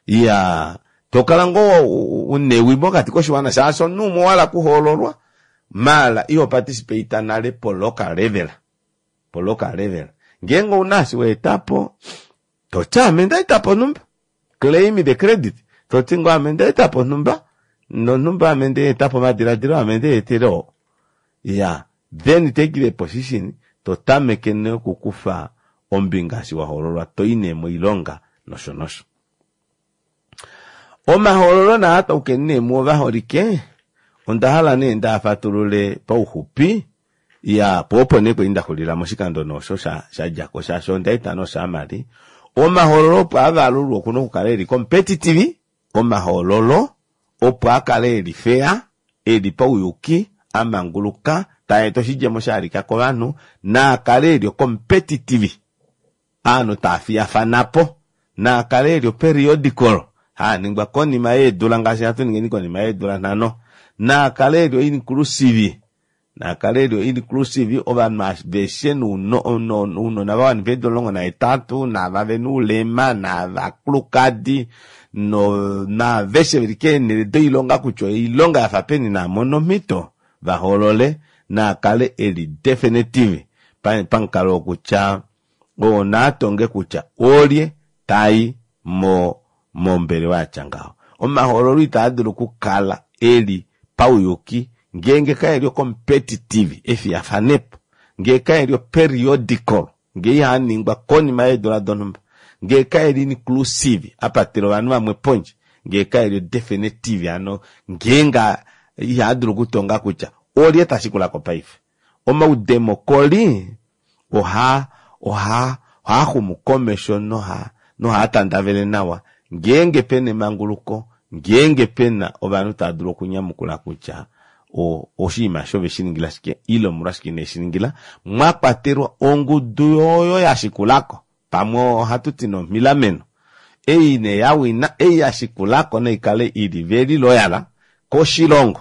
iya, to kala ngoo una ewi mokati koshiwana shaashi omunhu umwe owa hala okuhoololwa maala iho participate nale po local level, po local level. Ngeenge ouna eshi wa eta po, to ti ame nda eta po onhumba. Claim the credit. To ti ngoo ame nda eta po onhumba, nonhumba ame nda eta po omadiladilo ame nde etele oo. Iya, then take the position, to tameke nee okukufa ombinga eshi wa hoololwa, to i nee moilonga nosho nosho. Omahoololo naa taukeni nee muo vaholike, onda hala nee ndaa fatulule pauxupi, Iya, po opo nee kwali nda xulila moshikando nee osho sha sha dja ko shaashi onda eta nee osummary. Omahoololo opo a valulwe oku na okukala e li competitive, omahoololo opo a kale e li fair, e li pauyuki, a manguluka, taa eta oshidjemo sha halika kovanhu, naa kale e li competitive, ovanhu taa fiyafana po, naa kale e li operiodical, haa ningwa konima yeedula ngaashi hatu ningeni konima yeedula nhano, naa kale e li oinclusive, Naa kale eli inclusive, ovanhu aveshe nounona va wanifa eedula 18, naava ve na oulema, naavakulukadi, naaveshe ve li keenhele doilonga kutya oilonga ya fa peni naa mone omhito va hoolole, naa kale e li definitive pamukalo wokutya oo naa tonge kutya olye ta i mo mombelewa ya tya ngaho. Omahoololo itaa dulu okukala e li pauyuki ngeenge kae li ocompetitive, efiyafanepo, ngee kae li operiodical, ngee ihaa ningwa konima yeedula donhumba, ngee kae li inclusive, a patela ovanhu vamwe pondje, ngee kae li odefinitive, hano ngeenge ihaa dulu okutonga kutya olye ta shikula ko paife. Omaudemokoli ohaa ohaa ohaa xumu komesho noha nohaa tandavele nawa ngeenge pe na emanguluko, ngeenge pe na ovanhu tava dulu okunyamukula kutya o oshinima eshi ove shi ningila shike ile omolwashike ine shi ningila, mwa kwatelwa ongudu oyo ya shikula ko. Pamwe ohatu ti nomhilameno ei nee ya wina, ei ya shikula ko nai kale i li very loyal koshilongo.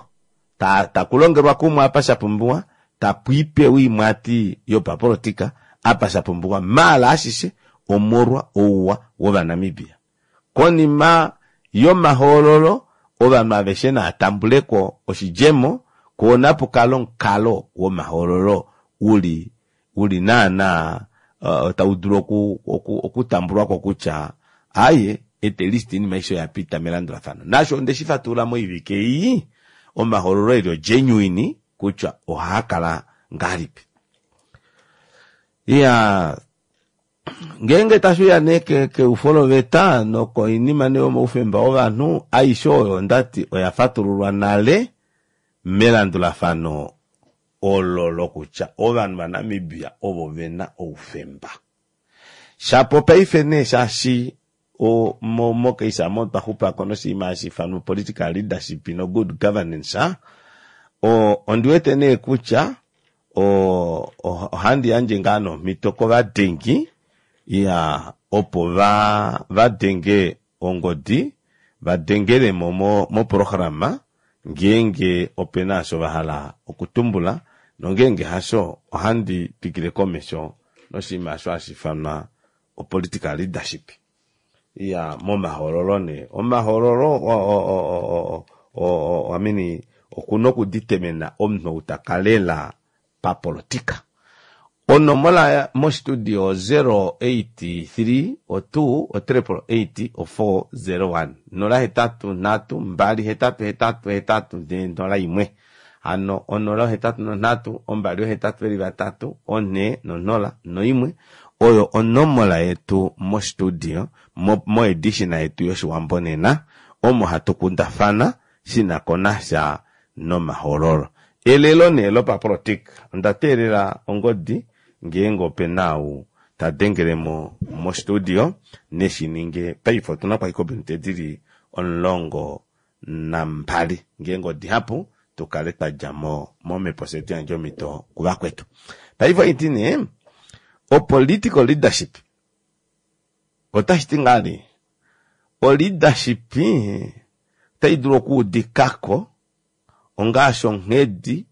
Ta, taku longelwa kumwe apa sha pumbiwa, tapu ipewa oimwati yopapolotika apa sha pumbiwa, maala ashishe omolwa ouwa wOvanamibia. Konima yomahoololo, ovanhu aveshe naa tambule ko oshidjemo, koo napu kale omukalo womahoololo u li u li naanaa tau dulu oku, oku, okutambulwa ko kutya aaye, at least oinima aishe oya pita melandulafano. Naasho onde shi fatulula moivike ei, omahoololo e li ogenuine kutya ohaa kala ngahelipi. Iya, ngeenge tashi uya nee keufo loveta nokoinima nee yomaufemba wovanhu, aishe oyo onda ti oya fatululwa nale melandulafano olo lokutya ovanhu vaNamibia ovo ve na oufemba. Shapo paife nee shaashi. Mo-case omo otwa xupako noshinima hashi ifanwa political leadership no good governance. Ondi wete nee kutya ohandi yandje ngaa nomhito kovadengi ya opo va vadenge ongodi va dengelemo moprograma ngeenge opena osho va hala okutumbula nongeenge hasho ohandi twikile komesho noshinima osho hashi ifanwa opolitical leadership ya momahoololo nee omahoololo I mean okuna okuditemena omunhu ou taka lela papolitika. Onomola mostudio 083 2 888 401 083 2 8 8 401 hano 083 2 8 4 01 oyo onomola yetu mostudio moedition yetu yOshiwambo nena omo hatu kundafana shina ko nasha nomahoololo. Elelo nee lopapolitika onda teelela ongodi ngeenge opena ou ta dengelemo mostudio neshi ninge paife otuna kwaiko ominute dili 12 ngeenge odihapu tukale twadjamo momhepo fye tuyandje omhito kuvakwetu. Paife oiti nee opolitical leadership otashi ti ngaa nee oleadership otai dulu okuudikako ongaashi onghedi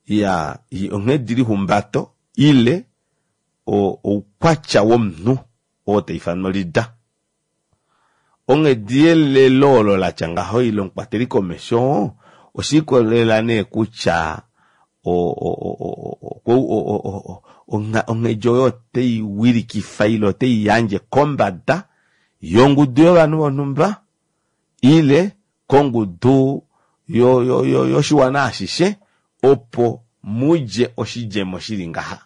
ya onghedi lihumbato ile oukwatya womunhu oo taifanwa leader. Onghedi yelelo olo latya ngaho ile omukwateli komesho oshiikolelela nee kutya onghedi oyo otai wilikifa ile otai yandje kombada yongudu yovanhu vonhumba ile kongudu yoshiwana ashishe opo mudje oshidjemo shili ngaha.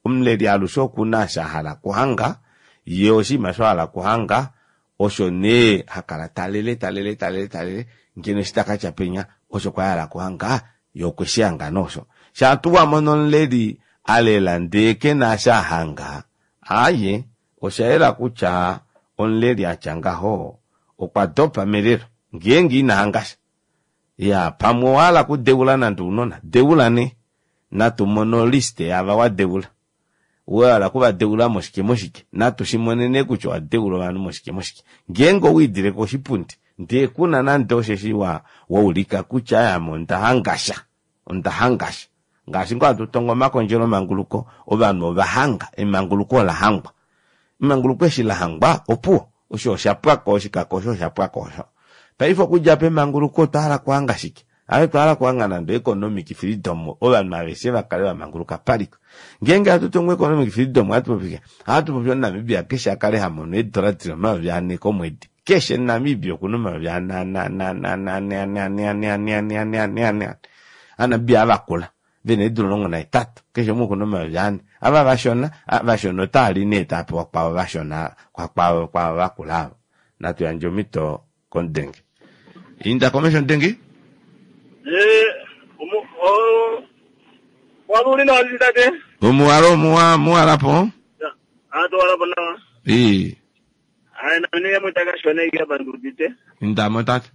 Omuleli alushe okuna osho ahala okuhanga, ye oshinima osho ahala okuhanga osho nee hakala talele talele talele talele ngeno eshi takatya penya osho kwa hala okuhanga ye okwe shi hanga noosho. Shaa tuu wamono omuleli alela ndee kena osho ahanga, aaye osha yela kutya omuleli atya ngaho okwa dopa melelo ngeenge ina hangasha. Ya pamwe owahala okudeula nande ounona, deula nee natu mone olist yaava wadeula. Wahala okuvadeula moshike moshike natu shimone nee kutya owadeula ovanhu moshike moshike. Ngeenge owiidile koshipundi ndee kuna nande osheshi waulika kutya ame onda hangasha onda hangasha ngaashi ngoo hatu tongo omakondjelo manguluko ovanhu ova hanga emanguluko ola hangwa emanguluko eshi la hangwa opuwo osho oshapwako oshikako osho oshapwako osho. Paife okudja pemanguluko otwa hala okuhanga shike? Ave twa hala okuhanga nande economic freedom ovanhu aveshe vakale vamanguluka paliko. Ngeenge hatu tongo economic freedom ohatu popi ohatu popi omuNamibia keshe akale hamono eedola dili 4000 komwedi. Keshe Namibia okuna 4 ane ane ane ane ane ane ane ane ane ane ane ane ane ane Aanamibia avakula vena eedula 18 keshe umwe okuna 4000. Ava vashona vashona otaali nee tava pewa kwavo vashona kwavo kwavo vakula avo. Natu yandje omhito komudenge. Inda komesho mudengi. Waluli nawa tate. Omuwalo omuwa muwalapo. Atowalapo nawa. Ii. Ayi nami yamwe takashona iki apa ndiudite. Indamo tate.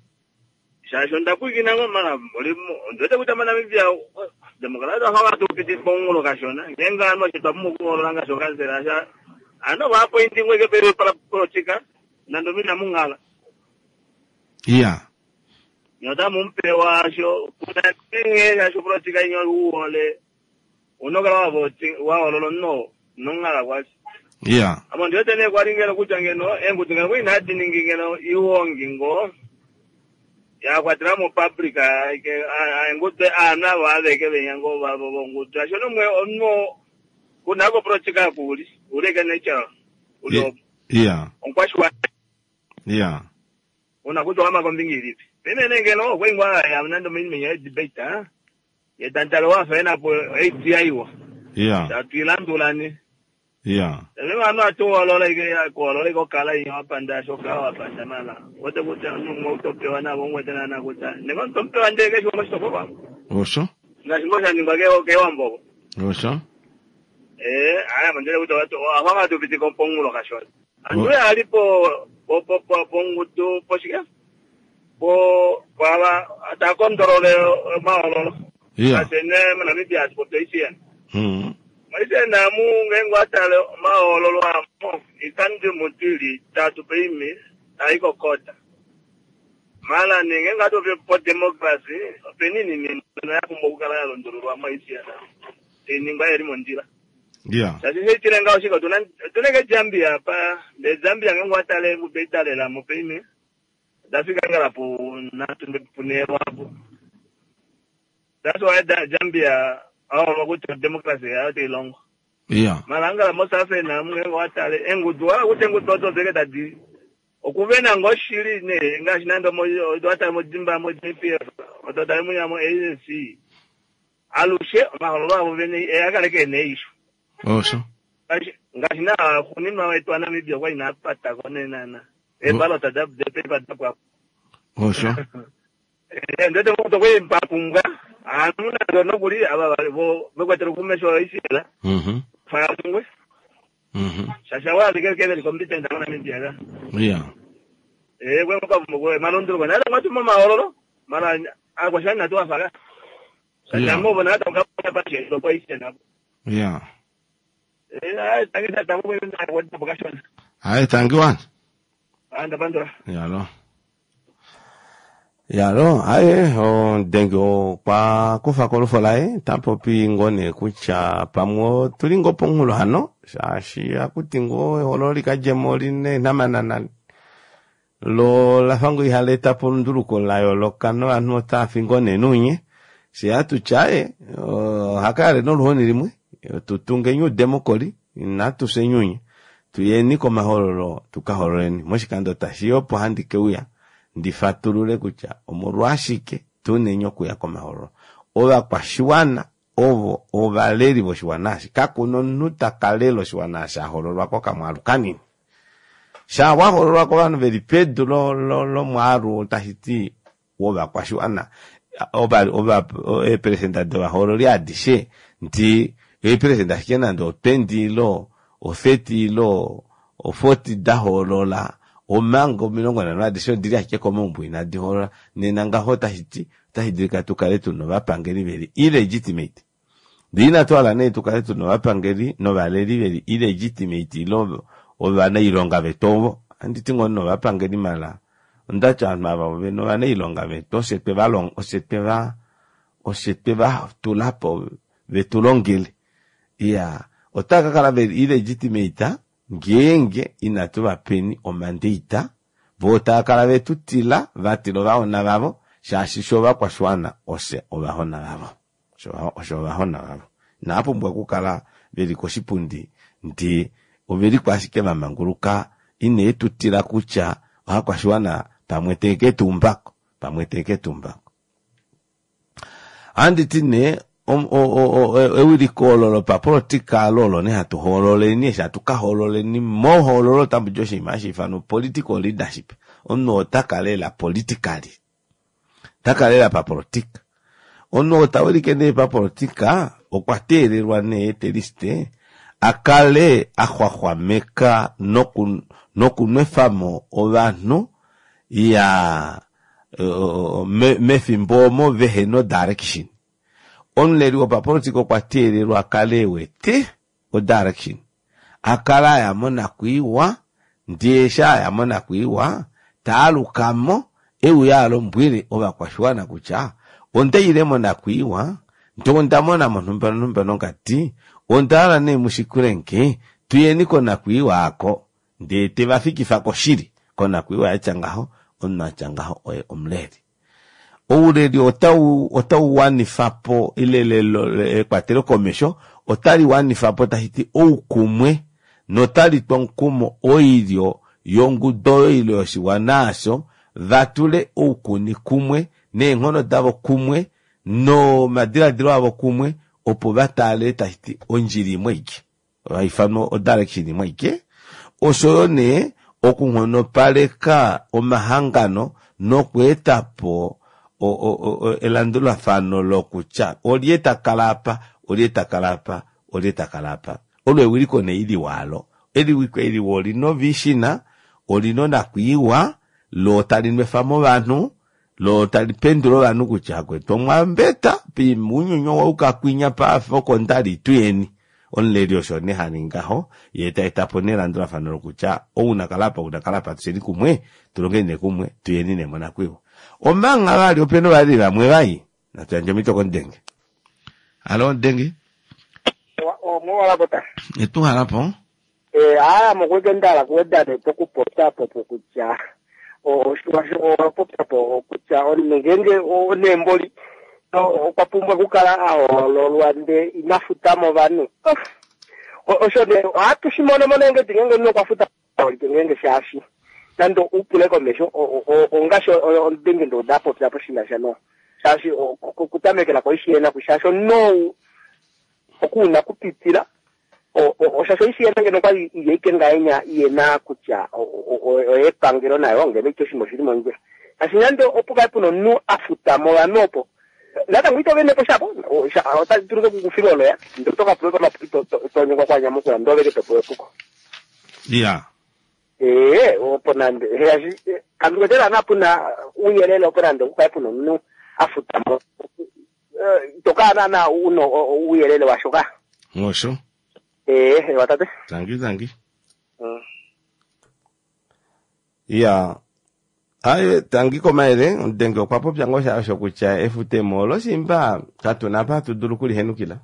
Shaashi onda pwiikina ngo mara ondiwete kutya moNamibia demokrati oha tupitifa omunghulo kashona. Ngeenge ovanhu osho twa pumbwa okuhoolola ngaashi okansela sha ano vaapointi ngwe ke politika nande omu inamu nghala. Iya. Nye otamu mupewa sho kuna nghee shaashi opolitika inya uwole unokala wahoolola omunhu nonghala kwasho. Iya. Amo ndiwete nee kwali ngeno kutya ngeno eengudu ngeno kwali inadi ningi ngeno iwongi ngo yakwatela mo public eengudu aanhu avo aveke venya ngo vongudu asho nomwe omunhu kuna kopolitika kuuli uli eke natural uli opo Iya. omukwashiwana Iya. una kutya owama kombinga ilipi. Pene ngeno okwali ngoo ya nande ominima ya debate yetantalo wafa enapo idea iwa Iya. tatuilandulani Iya. Vanhu atuhoolola ike kuhoolola ike okala inya wapanda shoka wapanda mala wote kutya omunhu utopewa navo umwete nana kutya nenge otomupewa ndee keshe moshitopolwa Osho. ngaashi ngoo shaningwa kewambo Osho. aya mandele kutya ahwanga tupitika pomunghulo kashona anduye alipo Pongudu poshike po pwava takondolole omahoololo ngaashi ne moNamibia hatu popi oICN. MoICN amu ngeenge watale omahoololo amo oikando mutu ili itatu peimi tai kokota. Mala nee ngeenge hatu popi po democracy opena oinima imwe ya pumbwa okukala ya lundululwa moICN tainingwa yeli mondjila. Shaashi shaitile ngaho shike otuna otuna ke Zambia apa ndee Zambia ngeenge watale engudu ei dalelamo peimi odafika ngala pu nhatu punhee lwaapo. That's why Zambia aholwa kutya democracy yayo tailongo. Mala angala mo South Africa amu ngeenge owatale eengudu owahala kutya eengudu odo odeke tadi okuvena ngoo shili nee ngaashi nande owatale mo Zimbabwe mo JPF odo tali munya mo ANC alushe omahololo avo vene eakale keena eisho. Osho. Ngaashi naa xuuninwa wetu waNamibia okwa ina patako nee naana. Eebalota depepa dapwako. Osho. Ndete ngokuti okwali papumbwa aanhu nande nokuli ava vekwetele kumesho oICL fayamungwe shaashi avo alike keveli competent moNamibia ka. Kwe malunduluko nale mwatu momahoololo mara aakwashiwana inatu wafaka. Shaashi amo bona hata pashiendo kwa ICL apo. Hayi tangiwani. Ndapandula. Yalo. Yalo, aye, ondenge okwa kufa kolufo laye, tapopi ngoo nee kutya pamwe otuli ngoo pomunghulo hano, shaashi akuti ngoo ehololo likadjemo olina eenhamanana lo lafa ngoo ihali eta po olunduluko la yooloka novanhu otava fi ngoo nee nuunye. Fye hatutya aye, ohakayale noluhoni limwe, tutungeni oudemokoli, inatu fyeni uunye, tuyeni komahoololo tukahoololeni. Moshikando tashiya opo handi keuya ndifatulule kutya omolwashike tuneni okuya komahoololo. Ovakwashiwana ovo ovaleli voshiwana eshi, kakuna omunhu takalela oshiwana eshi ahoololwa kokamwaalu kanini. Sha wahoololwa kovanhu veli pedu lomwaalu tashiti wovakwashiwana, eeperesenda dovahoololi adishe ndi eeperesenda ashike nande o20 ilo o30 ilo o40 dahoolola, omanga 50 adishe odili ashike komaumbo inadi hoolola. Nena ngaho tashiti otashi dulika tukale tuna ovapangeli veli illegitimate. Ndee inatu hala nee tukale tuna ovapangeli novaleli veli illegitimate ilo ovanailonga vetu ovo. Anditi ngoo novapangeli mala ondatya ovanhu ava ovena ovanailonga vetu oshe oshe tweva tulapo vetu longele. Iya, otava kakala veli illegitimate ngeenge inatu vapeni omandate, vo otava kala vetu tila, vatila ovahona vavo, shaashi sho ovakwashiwana oshe ovahona vavo. Osho ovahona vavo. Inava pumbwa okukala veli koshipundi ndee oveliko ashike vamanguluka, ine tu tila kutya ovakwashiwana pamwe teke tuumbako, pamwe teke tuumbako. Anditi nee ewiliko olo lopapolitika olo nee hatu hoololeni, eshi hatu kahoololeni mohoololo otamu di oshinima hashi ifanwa political leadership. Omunhu ota kalela politically, ta kalela papolitika. Omunhu oo tawilike nee papolitika okwa teelelwa nee teliste akale axwaxwameka nokunwefamo ovanhu ya mefimbo omo vehena direction. Omuleli wopapolitika okwa teelelwa akale ewete odirection, akale aya monakwiiwa, ndee eshi aya monakwiiwa taalukamo euya alombwele ovakwashiwana kutya ondaile monakwiiwa ndee onda mona monhumba nonhumba nongadi, onda hala nee mushikule nge tuyeni konakwiiwa aako, ndee tevafikifa koshili konakwiiwa yatya ngaho. Omunhu atya ngaho oye omuleli. Ouleli otau wanifapo ile ekwatelo komesho otali wanifapo tashiti oukumwe notali twa omukumo oilyo yongudu oyo ile yoshiwana asho vatule oukuni kumwe neenghono davo kumwe nomadiladilo avo kumwe opo vataalele tashiti ondjila imwe aike haifanwa odirection imwe aike. Oshoyo nee okunghonopaleka omahangano nokweetapo elandulafano lokutya olye takala apa, olye takala apa, olye takala apa. Olo ewiliko nee iliwa alo. Ewiliko eliwa olina ovishina, olina onakwiiwa loo tali nwefamo ovanhu loo tali pendula ovanhu kutya akwetu omwambeta ounyuni owauka kwinya paafa oko ndali tuyeni omuleli osho nee haningi ngaho yee ta etapo nee elandulafano lokutya ou nakala apa ou nakala apa tusheni kumwe tulongeni nee kumwe tuyeni nee monakwiiwa omanga vali opena ovaleli vamwe vai natu yandje omhito komudenge halo mudenge omowalapota etuhalapo aya mokweke ndala kuweda nepo kupopya popo kutya owapopya po kutya ngeenge neemboli okwa pumbwa okukala a hoololwa nde ina futa mo ovanhu. Osho ne ohatu shi mono mo neengedi ngeenge omunhu okwa futa holike ngeenge shaashi nande upule komesho ongaashi omudenge ndo da popya po shina sha no shaashi okutamekela koishiyena shaashi omunhu okuuna kupitila oshashi oishiyena ngeno okwali iyeike ngahenya iyena kutya oyepangelo nayo ngeno ito oshinima oshili mondjila shaashi nande opo kale puna omunhu a futa mo ovanhu opo natango ito venepo shapo otali dulu okukufila oloya ndee oto ka pula komapulo tonyengwa kwanyamukula ndee oveke topewa epuko. Ya Ee, opo nande shaashi kandi kwete naana puna uuyelele opo nande okukale puna omunhu a futa mo ito kala naana una uuyelele washoka. Osho. Ee, ewa tate. Tangi tangi. Ya aye tangi komayele omudenge okwa popya ngoo sha osho kutya efutemo olo shimba katuna apa hatu dulu okulihenukila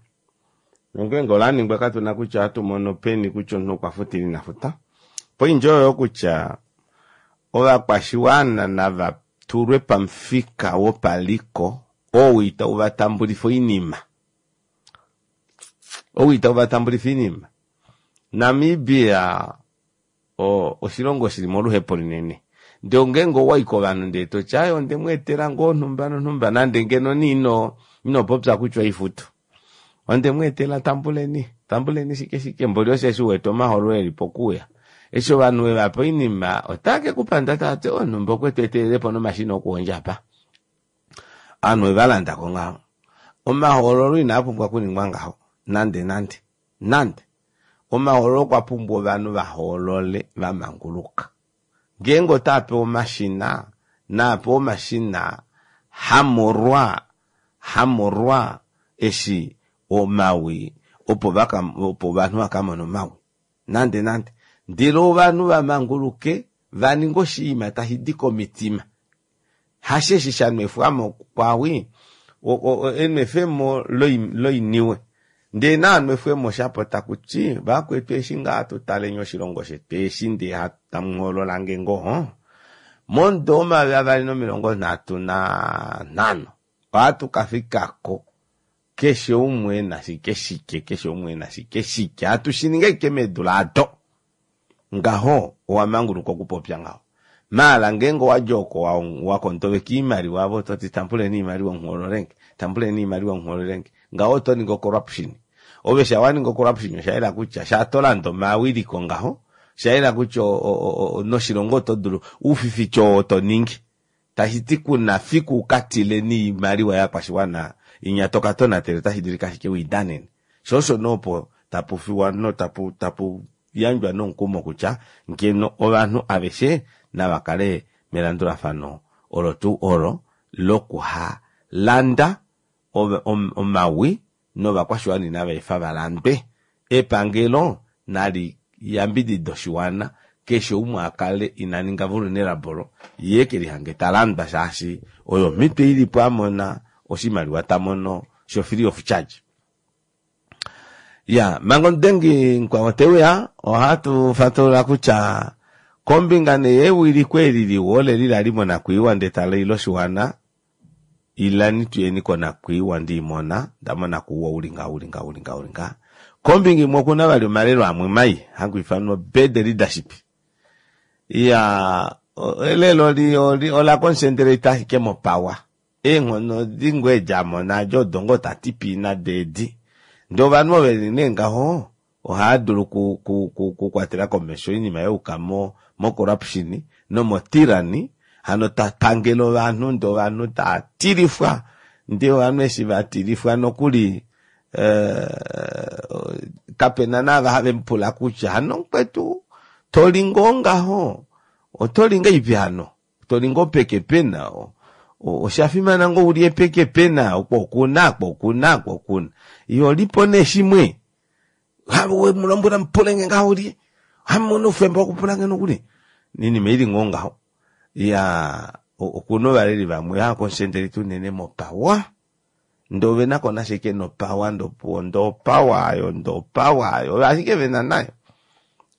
nongeenge ola ningwa katuna kutya ohatu mono peni kutya omunhu okwa futa ile ina futa. Poindja oyo kutya ovakwashiwana nava tulwe pamufika wopaliko oo itau va tambulifa oinima. Ou itau va tambulifa oinima. Namibia oshilongo shili moluhepo linene. Ndee ongeenge owai kovanhu ndee toti aaye onde mu etela ngoo onhumba nonhumba nande ngeno nee ino popya kutya oifutu. Onde mu etela tambuleni, tambuleni shike shike mboli osheshi uwete omahoololo eli pokuuya. Eshi ovanhu we vapa oinima otave ke kupanda tava ti onhumba okwe tu etelelepo nomashina okuhondja apa. Ovanhu ove va landako ngaho. Omahoololo inaa pumbwa okuningwa ngaho nande nande nande. Omahoololo okwa pumbwa ovanhu va hoolole va manguluka. Ngeenge otaa pewa omashina, naa pewe omashina hamolwa hamolwa eshi omawi opo vaka opo ovanhu vaka mone omawi nande nande. Ndele ovanhu va manguluke va ninge oshinima tashi di komitima. Hasheshi sha nwefwamo kwawi enwefemo loiniwe. Ndee naa nwefwemo shapo taku ti vakwetu eshi ngaa tutaleni oshilongo shetu eshi ndee tamu hoolola nge ngoo momudo wo2035 ohatu ka fikako keshe umwe ena shike shike keshe umwe ena shike shike hatu shiningi ashike meedula ado ngaho owa manguluka okupopya ngaho. Maala ngeenge owadja oko wakontoveka oimaliwa avo ototi tambuleni oimaliwa muhoololenge tambuleni oimaliwa muhoololenge ngaho oto ningi ocorruption. Ove sha waninga ocorruption osha yela kutya sha tolanda omawiliko ngaho osha yela kutya noshilongo oto dulu oufifici oo toningi tashi ti kuna fiku ukatile noimaliwa yakwashiwana inya toka tonatele otashi dulika ashike wiidanene. Sho osho nee opo tapu fiwa no tapu tapu yandjwa nomukumo kutya ngeno ovanhu aveshe nava kale melandulafano olo tuu olo lokuhalanda omawi novakwashiwana inava efa va landwe. Epangelo nali yambidide oshiwana keshe umwe akale ina ninga vulnerable ye kelihange ta landwa shaashi oyo omhito ilipo amona oshimaliwa ta mono sho free of charge. Ya manga omudengi mukwao teuya ohatu fatulula kutya kombinga nee yewiliko eli liwa oleli lali monakwiiwa ndee tali loshiwana ilani tuyeni konakwiiwa ndiimona ndamona kuuwa uli nga uli nga uli nga uli nga. Kombinga imwe okuna vali omalelo amwe mai haku ifanwa bad leadership. Ya elelo ola concentrate ashike mopower. Eenghono edi ngoo edi amona adi odo ngoo tati pii nado edi. Ndee ovanhu ovo veli nee ngaho ohava dulu okukwatela komesho oinima yauka mo corruption nomo tyranny hano tapangele ovanhu ndee ovanhu tava tilifwa ndee ovanhu eshi vatilifwa nokuli kapena naava have mupula kutya hano mukwetu toli ngoo ngaho. Oto li ngahelipi hano? To li ngoo peke pena? Osha fimana ngoo ulye peke pena? Oko okuna, oko okuna, oko okuna. Iho lipo nee shimwe. We mu lombwela mupule nge ngaho lye. Hamu oufemba wokupula nge nokuli. Inima ili ngoo ngaho. Ya okuna ovaleli vamwe hava concentrate unene mopawa. Ndee ove na ko nasha ashike nopawa ndopuwo ndee opawa ayo ndee opawa ayo oyo ashike vena nayo.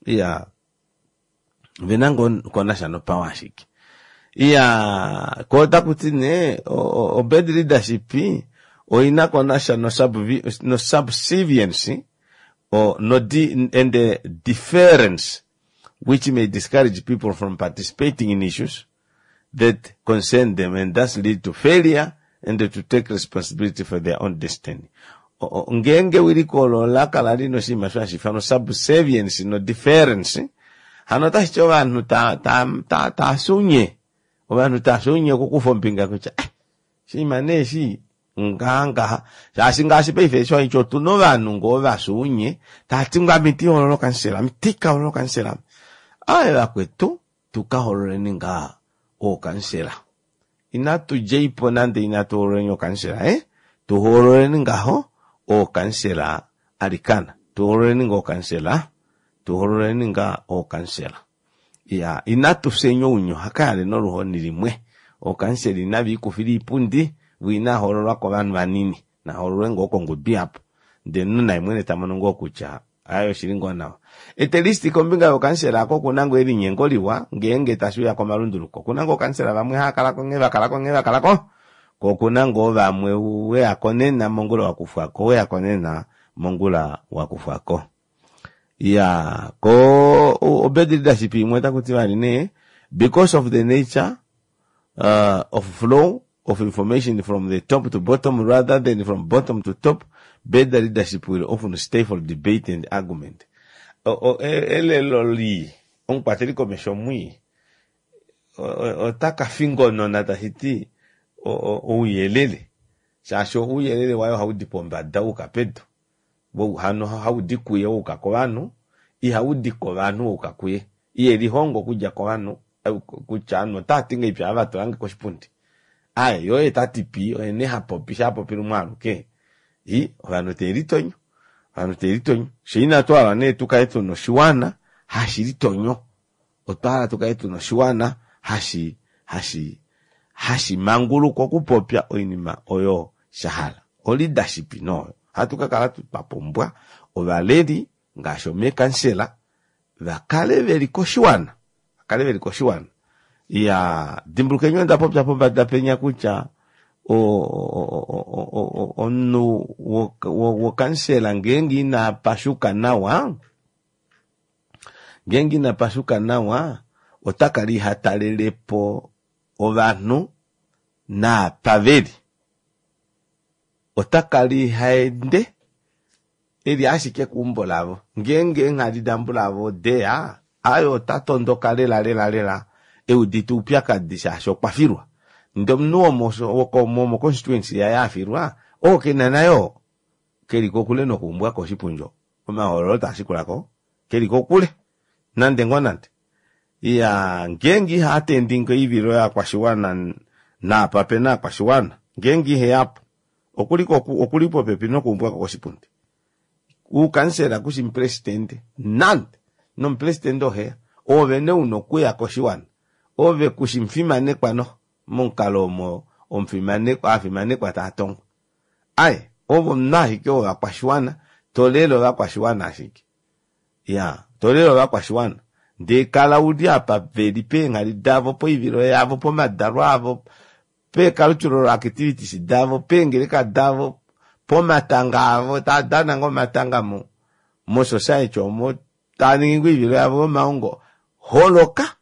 Iya ovena ngoo ko nasha nopawa ashike. Iya ko otaku ti nee obad leadership oina ko nasha no subservience or no and the deference which may discourage people from participating in issues that concern them and thus lead to failure and to take responsibility for their own destiny. Ngeenge ewiliko olo ola kala lina oshinima osho hashi ifanwa subservience no deference, hano otashi ti ovanhu taa sunye, ovanhu taa sunye okukufa ombinga kutya eh, oshinima nee eshi ngaha ngaha, shaashi ngaashi paife eshi ohaiti otuna ovanhu ngoo vasunye taati ngoo ame iti hoolola okansela, ame iti ka hoolola okansela, aaye vakwetu tuka hoololeni ngaa ookansela. Inatu djeipo nande inatu hoololeni ookansela eh, tu hoololeni ngaho ookansela alikana, tu hoololeni ngaa ookansela, tu hoololeni ngaa ookansela. Ya, inatu fyeni ounye ohaka yale noluhoni limwe. Ookansela inava ikufila iipundi, vo inaa hoololwa kovanhu vanini, na hoololwe ngoo kongudu yapo. Ndele omunhu naye mwene ta mono ngoo kutya aye oshili ngoo nawa. At least kombinga yookansela ako okuna ngoo elinyengo liwa ngeenge tashi uya komalunduluko. Okuna ngoo ookansela vamwe hava kala ko nghee vakala ko nghee vakala ko, ko okuna ngoo vamwe weya ko nena mongula wakufwa ko, weya ko nena mongula wakufwa ko. Ya, ko obad leadership imwe otaku ti vali nee, because of the nature of flow of information from the top to bottom rather than from bottom to top, better leadership will often stifle debate and argument. Elelo lii, omukwateli komesho mwii, ota ka fingonona tashi ti ouyelele, shaashi ouyelele waye ohau di pombada wuuka pedu, hano hau di kuye wuuka kovanhu, ihau di kovanhu wuuka kuye. Iye lihongo okudja kovanhu kutya ovanhu otava ti ngahelipi ava vatulange koshipundi. Aye, ye oye ta ti pii, oye nee ha popi, sha popi lumwe aluke, i ovanhu teve litonyo, ovanhu teve litonyo. Fye inatu hala nee tukale tuna oshiwana hashi litonyo, otwa hala tukale tuna oshiwana hashi hashi hashi manguluka okupopya oinima oyo sha hala. Oleadership nooyo. Ohatu ka kala twa pumbwa ovaleli ngaashi omeekansela va kale veli koshiwana, va kale veli koshiwana. Ya dimbulukeni onda popya pombada penya kutya omunhu wokansela ngeenge ina pashuka nawa, ngeenge ina pashuka nawa ota kala iha talelepo ovanhu naapa veli, ota kala iha ende eli ashike keumbo lavo. Ngeenge eenghali dambulavo odeya, aye ota tondoka lela lela lela eudite oupyakadi shaashi okwa filwa. Ndee omunhu womo constituency yaye afilwa, oo kena nayo keli kokule nokuumbwa koshipundi oo. Omahoololo taa shikulako keli kokule nande ngoo nande. Iya, ngeenge iha attending oivilo yovakwashiwana naapa pena ovakwashiwana, ngeenge iheyapo, okuli popepi nokuumbwako koshipundi. Uukansela kushi mupresidente nande, nomupresidente oheya, oove nee una okuya koshiwana, ove kushi mufimanekwa noho momukalo omo ovafimanekwa tava tongwa. Aye, ove omunhu ashike wovakwashiwana, tolele ovakwashiwana ashike. Ya, tolele ovakwashiwana. Ndee kala uli apa veli peenghali davo, poivilo yavo, pomadalo avo, peecultural activities davo, peengeleka davo, pomatanga avo, tava dana ngoo omatanga mo society omo, tava ningi ngoo oivilo yavo yomaongo. Holoka,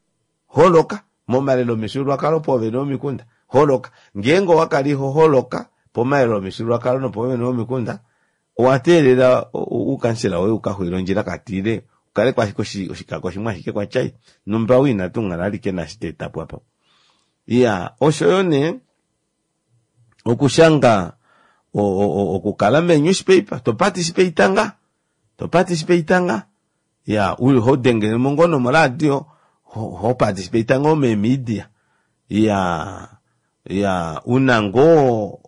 holoka momalelo omifyuululwakalo poovene vomikunda, holoka. Ngeenge owa kala iho holoka pomalelo omifyuululwakalo nopoovene vomikunda, owa teelela uukansela woye ukaxwile ondjila katiile, ukale ko ashike oshikako shimwe ashike kwatyai, numba ou inatu muhala alike naashi ta eta po apa. Iya, osho yo nee okushanga okukala mee-newspaper, to participate nga, to participate nga, ya, ho dengele mo ngoo nomoradio, Ho participate ngoo meemedia. Iyaa iyaa una ngoo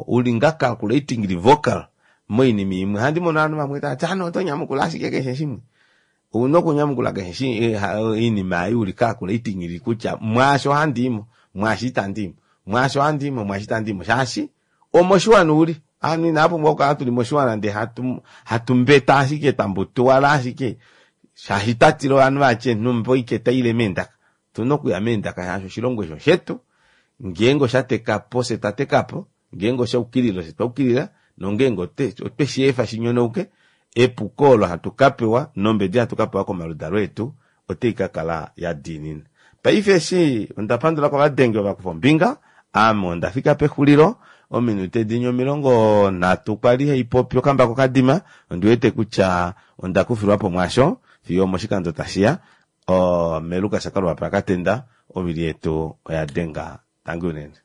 uli nga calculatingly vocal moinima imwe. Ohandi mono ovanhu vamwe tavati ovanhu oto nyamukula ashike keshe shimwe. Ouna okunyamukula keshe oinima ei uli calculatingly kutya mwaashi ohandiimo mwaashi itandiimo mwaashi ohandiimo mwaashi itandiimo shaashi omoshiwana uli. Ovanhu inava pumbwa okukala tuli moshiwana ndee hatu hatu mbeta ashike twambutuwala ashike shaashi twatila ovanhu vatye nhumba oike taile meendaka. Otuna okuya meendaka shaashi oshilongo eshi oshetu ngeenge osha tekapo fye twa tekapo ngeenge osha yukilila ofye twa yukilila nongeenge otwe sheefa shinyonauke epuko olo hatu kapewa nombedi hatu kapewa komaludalo etu otai kakala yadiinina. Paife eshi onda pandula kovadengi ovo vakufa ombinga ame onda fika pexulilo ominute dinya 30 kwali haipopi okambako kadima ondiwete kutya onda kufilwapo mwaasho fiyo omoshikando tashiya Melukas Kaluwapa Katenda ovili yetu oya denga. Tangi unene.